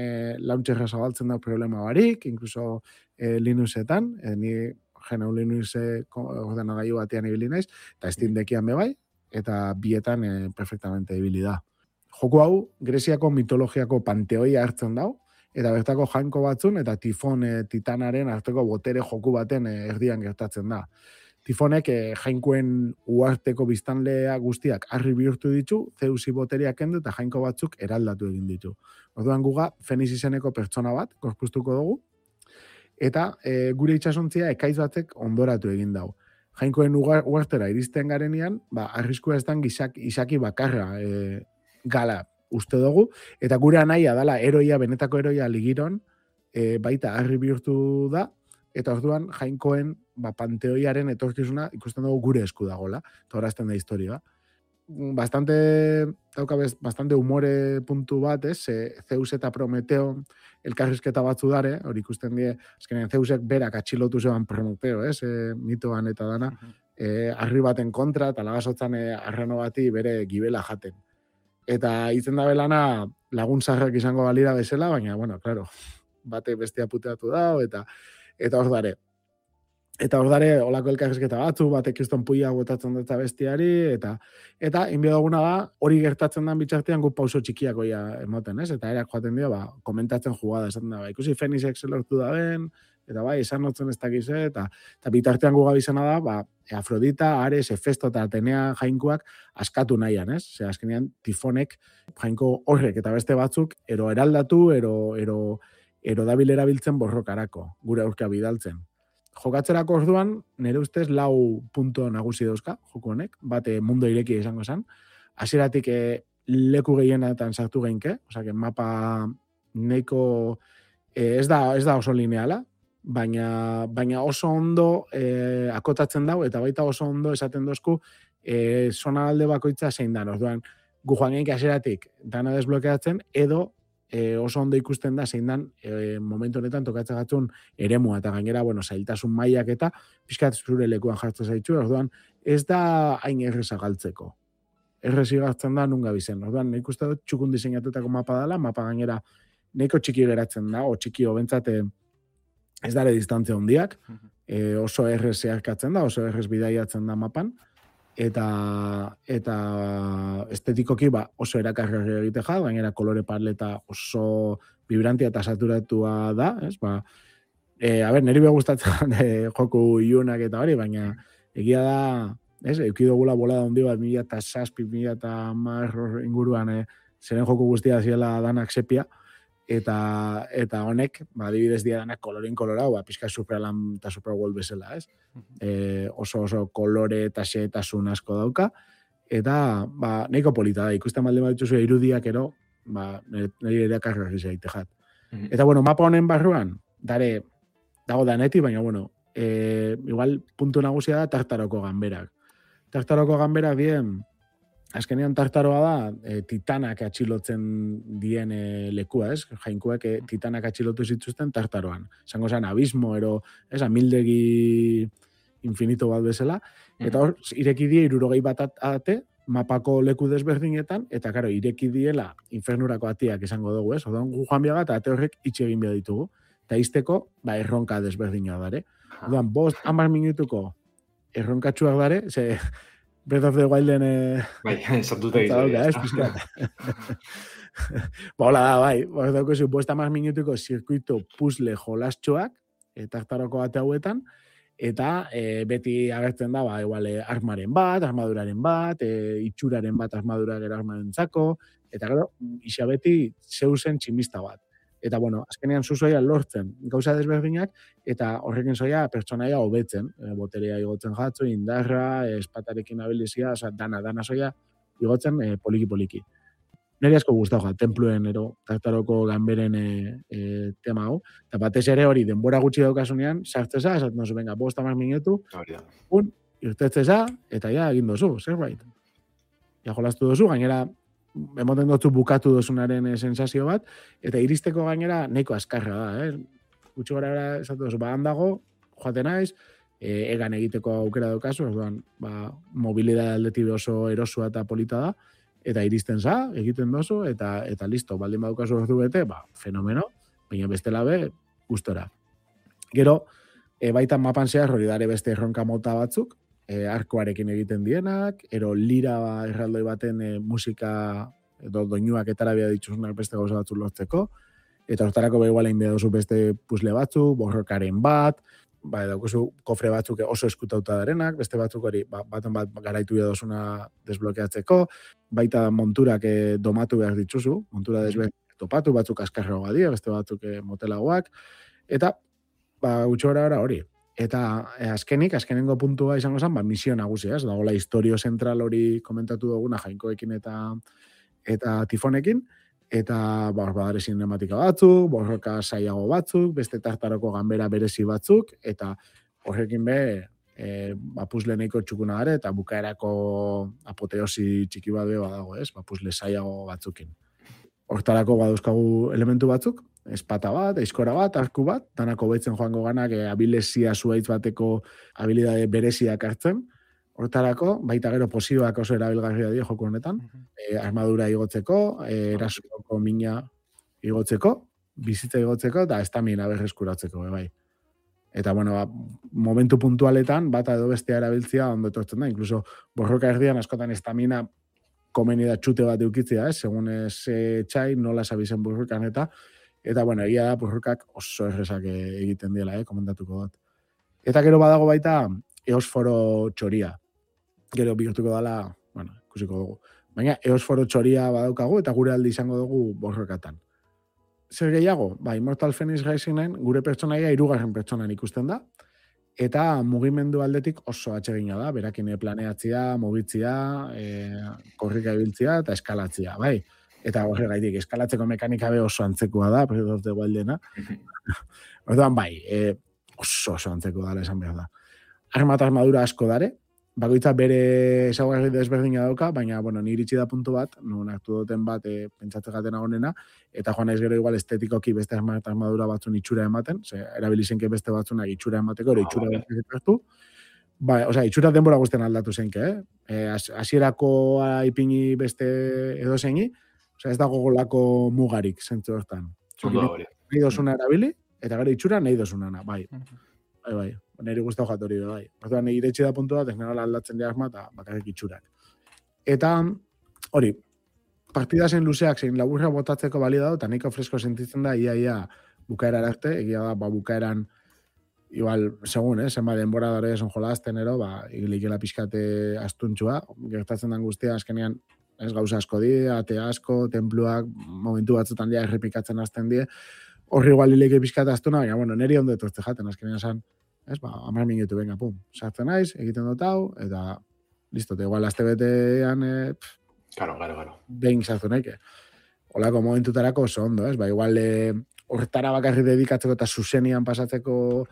launcherra zabaltzen da problema barik, incluso Linuxetan, ni genau Linuxeko ordenagailu batean ibili naiz, eta Steam Deckian bebai, eta bietan perfectamente ibili da. Joku hau, Greziako mitologiako panteoia hartzen dau, eta bertako jainko batzun, eta Tifon titanaren arteko botere joku baten erdian gertatzen da. Tifonek jainkoen uarteko biztanlea guztiak harri bihurtu ditu, Zeusi boteriak kendu eta jainko batzuk eraldatu egin ditu. Orduan guga, Feniz izeneko pertsona bat, gorpuztuko dugu, eta gure itxasontzia ekaitz batek ondoratu egin dau. Jainkoen uartera iristen garenean, arriskua ez dan izaki bakarra gala uste dugu, eta gure anaia dala benetako eroia ligiron, baita harri bihurtu da, eta orduan jainkoen panteoiaren etorkizuna ikusten dugu gure esku dagoela, eta horazten da historia. Bastante humore puntu bat, Zeus eta Prometeo elkarrizketa batzu dare, hori ikusten die, azkenean Zeusek berak atxilotu zeban Prometeo, mitoan eta dana, harri baten kontra, eta lagasotzan arrano bati bere gibela jaten. Eta itzen da belana lagun zarrak izango balira bezala, baina, bueno, claro, bate bestia puteatu da, eta hor dare. Eta hor dare, olako elkarrizketa batzu, batek kriston puia botatzen dut bestiari, eta inbio duguna da, hori gertatzen den bitxartean gu pauso txikiakoia emoten, ez? Eta erak joaten dio, komentatzen jugada, esaten da, ikusi Fenixek zelortu da ben, eta esan notzen ez dakize, eta bitartean gu gabizena da, Afrodita, Ares, Hefesto eta Atenea jainkoak askatu nahian, ez? Zer, azkenean, Tifonek jainko horrek eta beste batzuk, ero eraldatu, ero dabil erabiltzen borrokarako, gure aurka bidaltzen. Jokatzerako orduan, nire ustez 4 punto nagusi dauzka, joko honek, bate mundu ireki izango zen. Hasieratik leku gehienetan sartu geinke, osea, mapa neiko ez da oso lineala, baina oso ondo akotatzen dau, eta baita oso ondo esaten dozku zona alde bakoitza zein dan. Orduan, gu joan geinke hasieratik dana desblokeatzen, edo oso ondo ikusten da zein dan momentu honetan tokatzen gatzun eremua, eta gainera, zailtasun mailak eta pixkat zure lekuan jartzen zaitzu, orduan ez da hain erreza galtzeko. Errezi gartzen da nun gabizen. Orduan, nik uste dut txukun diseinatutako mapa dela, mapa gainera nahiko txiki geratzen da, o txiki hobentzate ez dare distantzia hondiak, oso errez zeharkatzen da, oso errez bidaiatzen da mapan, eta estetikoki oso erakarri egite ja, gainera kolore paleta oso vibrantia eta saturatua da, ez? Niri be gustatzen joku iunak eta hori, baina egia da, ez? Eukidogula bolada hondi bat 2006, 2010 inguruan zeren joku guztia ziela danak sepia, eta honek, adibidez dia danak kolorin kolorau, pixka Supralan eta Supraworld bezala, ez? Oso kolore eta xeetasun asko dauka, eta nahiko polita da, ikusten malde bat dituzu irudiak ero, nire erakarri zaite jat. Eta, mapa honen barruan, dago daneti, baina, igual puntu nagusia da Tartaroko ganberak. Tartaroko ganberak dien, azkenean Tartaroa da, titanak atxilotzen dien lekua, ez? Jainkoek titanak atxilotu zituzten Tartaroan. Zango zen, abismo, amildegi infinito bat bezala. Eta hor, ireki die 60 bat ate, mapako leku desberdinetan, eta karo, ireki diela infernurako atiak izango dugu, ez? Odan gu joan biaga, eta ate horrek itxe egin behar ditugu. Eta izteko, erronka desberdinoa dare. Odan, 5-10 minutuko erronkatxuak dare, ze Breath of the Wilden... Sartuta izan. Hola da, dauko zu, 5-10 minutuko zirkuito puzzle jolastxoak, Tartaroko bate hauetan, eta beti agertzen da, igual, armaren bat, armaduraren bat, itxuraren bat armadura gero armarentzako, eta gero, isa beti zeusen tximista bat. Eta, bueno, azkenean zuzoia lortzen gauza desberdinak, eta horrekin zoia pertsonaia hobetzen, boterea igotzen jatzu, indarra, espatarekin abilizia, dana zoia igotzen poliki-poliki. Neri asko gustau templuen tartaroko ganberen tema hau, eta batez ere hori denbora gutxi daukasunean, sartzeza, esaten dozu, venga, 5 minutu, irtetzeza, eta ja, egin dozu, zerbait. Ja, jolastu dozu, gainera, emoten dutzu bukatu dozunaren sensazio bat, eta iristeko gainera nahiko azkarra da, Gutxi gara esatu dozu, handago, joaten naiz, egan egiteko aukera daukazu, orduan, mobilidade aldetik oso erosua eta polita da, eta iristen za, egiten dozu, eta listo, baldin badukazu ordu bete, fenomeno, baina bestela be, gustora. Gero, baita mapan zehar hori dare beste erronka mota batzuk, arkoarekin egiten dienak, ero lira erraldoi baten musika edo doinuak etarabia dituzunak beste gauza batzuk lortzeko, eta hortarako igualein behar duzu beste puzle batzuk, borrokaren bat, daukazu kofre batzuk oso eskutauta darenak, beste batzuk hori baten bat garaitu dozuna desblokeatzeko, baita monturak domatu behar dituzu, montura desblokeatu topatu, batzuk askarrago badia, beste batzuk motelagoak, eta gutxo gara hori. Eta azkenengo puntua izango zen, misio nagusia, ez dagoela historio zentral hori komentatu duguna jainkoekin eta tifonekin, eta badare sinematika batzuk, borroka saiago batzuk, beste tartaroko ganbera berezi batzuk, eta horrekin puzle nahiko txukuna gare, eta bukaerako apoteosi txiki bat badago, ez? Puzle saiago batzukin. Hortarako badauzkagu elementu batzuk, espata bat, aizkora bat, arku bat, danako betzen joango ganak abilezia zuaitz bateko habilidade bereziak hartzen. Hortarako, baita gero posioak oso erabilgarria dira joko honetan, armadura igotzeko, erasoko mina igotzeko, bizitza igotzeko, eta estamina berreskuratzeko, bai. Eta, bueno, momentu puntualetan, bata edo bestea erabiltzia ondo etortzen da, inkluso borroka erdian askotan estamina komeni da txute bat eukitzea, segun txai, nola sabizen borrokan eta, bueno, egia da borrokak oso errezak egiten diela, komentatuko dut. Eta gero badago baita eosforo txoria. Gero bihurtuko dela, bueno, ikusiko dugu. Baina eosforo txoria badaukagu eta gure aldi izango dugu borrokatan. Zer gehiago? Immortal Phoenix Risingen gure pertsonaia 3. pertsonan ikusten da, eta mugimendu aldetik oso atsegina da, berakin planeatzia, mugitzia, korrika ibiltzia eta eskalatzia, bai. Eta horregaitik, eskalatzeko mekanika oso antzekoa da, Breath of the Wildena. Orduan, oso antzekoa da, esan behar da. Armadura asko dare, bakoitza bere ezaugarri desberdina dauka, baina, bueno, ni iritsi da puntu bat, non hartu duten bat pentsatze gatena honena, eta joan naiz gero igual estetikoki beste armadura batzun itxura ematen, erabilizenke beste batzunak itxura emateko, ero itxura hartu. Itxura denbora guztien aldatu zenke, Hasierako ipini beste edo zeini, ez dago golako mugarik, zentzu hortan. Nahi dozuna erabili, eta gero itxura nahi dozunana, bai. Neri guztau jatori, bai. Orduan, nire iretsi da puntu bat, ez nara aldatzen diazma, eta bakarrik itxurak. Eta, hori, partidazen luzeak zein laburra botatzeko bali dago, eta nahiko fresko sentitzen da, ia bukaera arte, egia da, bukaeran, igual, segun, zenba denbora dara esan jolazten, igilikela pixkate astuntxua, gertatzen den guztia, azkenean, ez gauza asko di, ate asko, tenpluak, momentu batzutan dia errepikatzen hasten die, horri igual hileke pixkate astuna, baina, bueno, neri ondo etortze jaten, azkenean esan, 10 minutu, venga, pum, sartzen naiz, egiten dut hau, eta listo, igual azte betean, Claro. behin sartu naike. Olako momentutarako oso ondo, igual hortara bakarri dedikatzeko eta zuzenian pasatzeko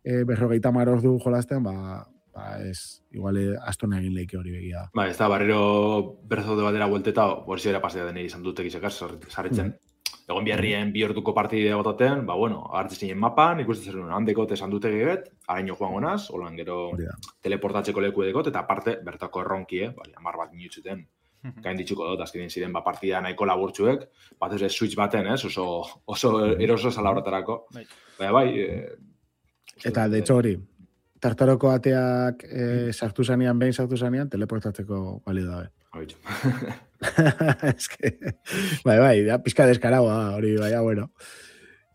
50 ordu jolazten, ez, igual astuna egin leike hori begia. Ez da, barriro berzo de batera buelteta, hori zera pasea denei izan dutek izekaz, sarritzen. Egon biharrien 2 orduko partide gotaten, hartzen zinen mapan, ikusten zer handekot esan dute gebet, araño joango naz, holan gero teleportatzeko leku edekot, eta aparte, bertako erronkie, 10 minutzuten, gain ditzuko dut, azkenin ziren partida nahiko laburtzuek, bat ez switch baten, oso eroso zala horretarako. Eta, de hecho hori, tartaroko ateak sartu zanean, teleportatzeko balio dabe. Es que, da pizka deskaragoa hori, bueno.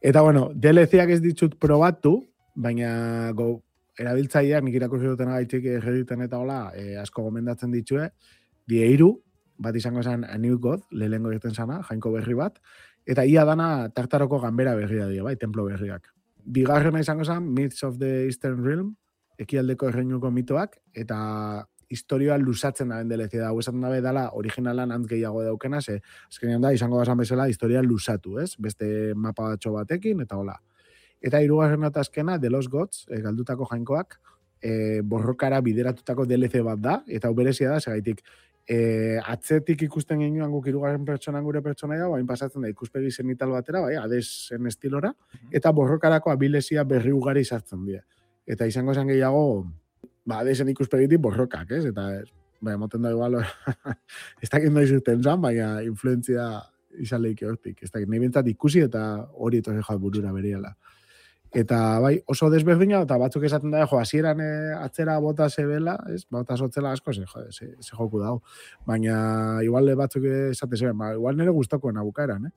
Eta, bueno, DLC-ak ez ditut probatu, baina erabiltzaileak nik irakurri dutena gaitik Redditen eta hola, asko gomendatzen ditue, die 3, bat izango zen A New God, lehengo egiten sana, jainko berri bat, eta ia dana Tartaroko ganbera berria die, bai, templo berriak. Bigarrena izango zen Myths of the Eastern Realm, ekialdeko erreinuko mitoak, eta historioa lusatzen da DLC da, hau esaten dabe dala originalan antz gehiago daukena, ze azkenean da, izango gazan bezala, historia lusatu, ez? Beste mapa batxo batekin, eta hola. Eta hirugarren eta azkena, The Lost Gods, galdutako jainkoak, borrokara bideratutako DLC bat da, eta hau berezia da, segaitik, atzetik ikusten genuan guk hirugarren pertsonan gure pertsonaia, bain pasatzen da ikuspegi zenital batera, bai, Hadesen estilora, eta borrokarako abilezia berri ugari sartzen dira. Eta izango zen gehiago, Hadesen ikuspegitik borrokak, ez? Eta, moten da igual, ez dakit noiz urten zan, baina influentzia izan lehiki hortik. Ez dakit, nahi bintzat ikusi eta hori etorri joat burura beriala. Eta, bai, oso desberdina, eta batzuk esaten da, hasieran atzera bota zebela, ez? Bota sotzela asko, ze joku dago. Baina, igual batzuk esate zeben, igual nire guztokoen abukaeran,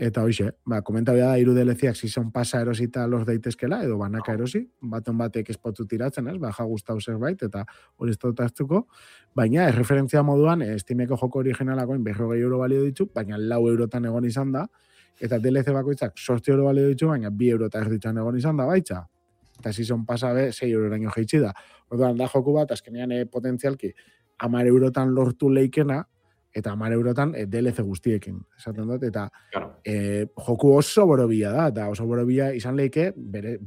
Eta hoxe, komentabia da, 3 DLC-ak season pasa erosita lor daitezkela, edo banaka erosi, baten batek espotu tiratzen, ez? Ja gustau zerbait, eta hori ez dut hartuko. Baina, erreferentzia moduan, Steameko joko originalakoin 40 euro balio ditu, baina 4 eurotan egon izan da, eta DLC bakoitzak 8 euro balio ditu, baina 2 eurota erditzen egon izan da, baitza. Eta season pasa be, 6 euroraino jeitsi da. Orduan, da joku bat, azkenean potentzialki, 10 eurotan lortu leikena, eta 10 eurotan DLC guztiekin, esaten dut, eta joku oso borobila da, eta oso borobila izan leike, bere,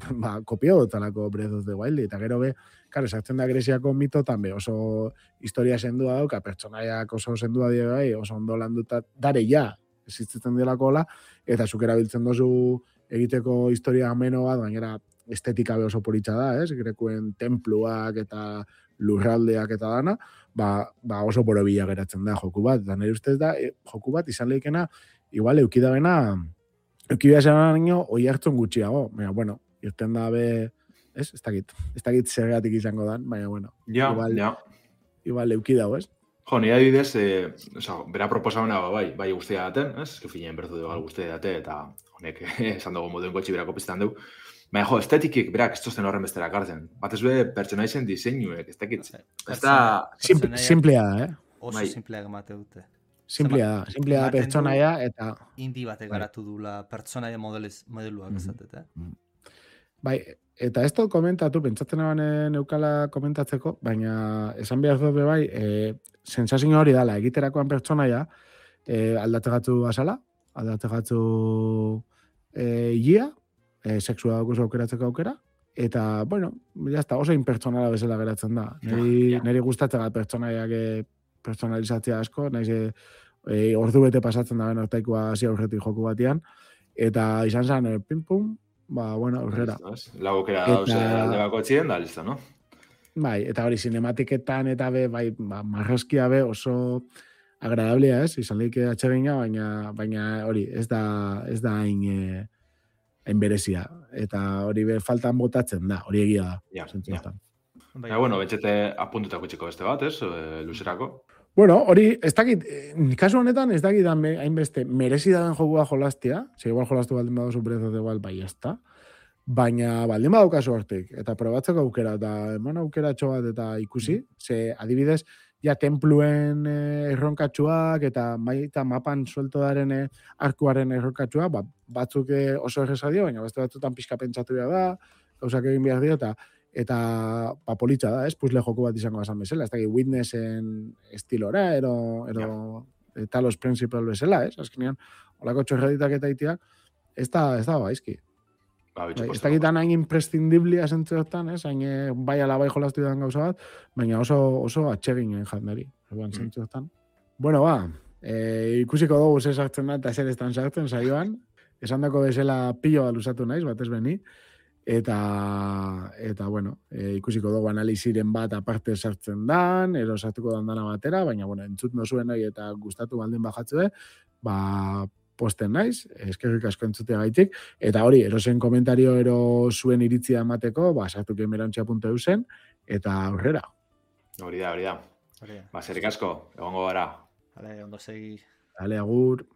kopio dotalako Breath of the Wild, eta gero be, karo, esartzen da Greziako mitotan be, oso historia sendua dauka, pertsonaiak oso sendua dira bai, oso ondo landuta, dare ja, existitzen delako hola, eta zuk erabiltzen dozu egiteko historia ameno bat, gainera estetika be oso politxa da, Grekuen templuak eta lurraldeak eta dana, oso borobila geratzen da joku bat. Eta nire ustez da, joku bat izan lehikena, igual eukidabena nio oi hartzun gutxiago. Baina, bueno, irten da be, ez dakit zergatik izango dan, baina, bueno, igual eukidago, ez? Jo, nire adibidez, bera proposamena bai guztia daten, ez? Finean bertu dugu guztia date, eta honek esan dugu moduen gotxi berako piztan dugu. Baina, jo, estetikik, berak, ez tozten horren bestera kartzen. Bat ez be, pertsonaizen diseinuek, ez dakit. Simplea da, Oso simplea gamate dute. Simplea da pertsonaia, eta... Indi batek garatu dula pertsonaia modeluak ezatete. Bai, eta ez dut komentatu, pentsatzen eban neukala komentatzeko, baina esan behar dut bai, sensazio hori dala, egiterakoan pertsonaia, aldatzegatu azala, aldatzegatu ia, sexua daukuzu aukeratzeko aukera, eta, bueno, jazta, oso impertsonala bezala geratzen da. Neri gustatzen da pertsonaiak personalizatzea asko, nahiz ordu bete pasatzen da ortaikoa hasi aurretik joku batean, eta izan zen, pim-pum, bueno, aurrera. La aukera dauze alde bako txien, da, listo, no? Bai, eta hori, sinematiketan eta be, marraskia be oso agradablea, ez? Izan lehike atxegina, baina hori, ez da hain berezia, eta hori be faltan botatzen da, hori egia da. Bueno, betxete apuntutako txiko beste bat, ez? Luzerako. Bueno, hori, ez dakit, kasu honetan ez dakit hainbeste merezi daben jokua jolastia, igual jolastu baldin badozu Breath of the Wild, bai ezta, baina baldin badaukazu hortik, eta probatzeko aukera, eta eman aukeratxo bat eta ikusi, ze adibidez, ja templuen erronkatxuak eta baita mapan suelto daren arkuaren erronkatxua, batzuk oso errezadio, baina beste batzutan pixka pentsatu da, gauzak egin behar dio, eta politxa da, puzle joku bat izango bazan bezala, ez dakit Witnessen estilora, ero Talos Principal bezala, azkenean, holako txorreditak eta itiak, ez da baizki. Ez dakitan hain imprescindiblia zentzeotan, hain bai ala bai jolastu dan gauza bat, baina oso atseginen jandari, zentzeotan. Bueno, ikusiko dugu ze sartzen da eta zer estan sartzen saioan, esan dako bezala pilo bat luzatu naiz, bat ez beni, eta bueno, ikusiko dugu analiziren bat aparte sartzen dan, ero sartuko dan dana batera, baina, bueno, entzut nozuen hori eta gustatu baldin bajatzue, posten naiz, eskerrik asko entzutea gaitik, eta hori, erosen komentario ero zuen iritzia emateko, sartu gamerantzia.eu zen, eta aurrera. Hori da. Zerik asko, egongo gara. Ondo segi. Agur.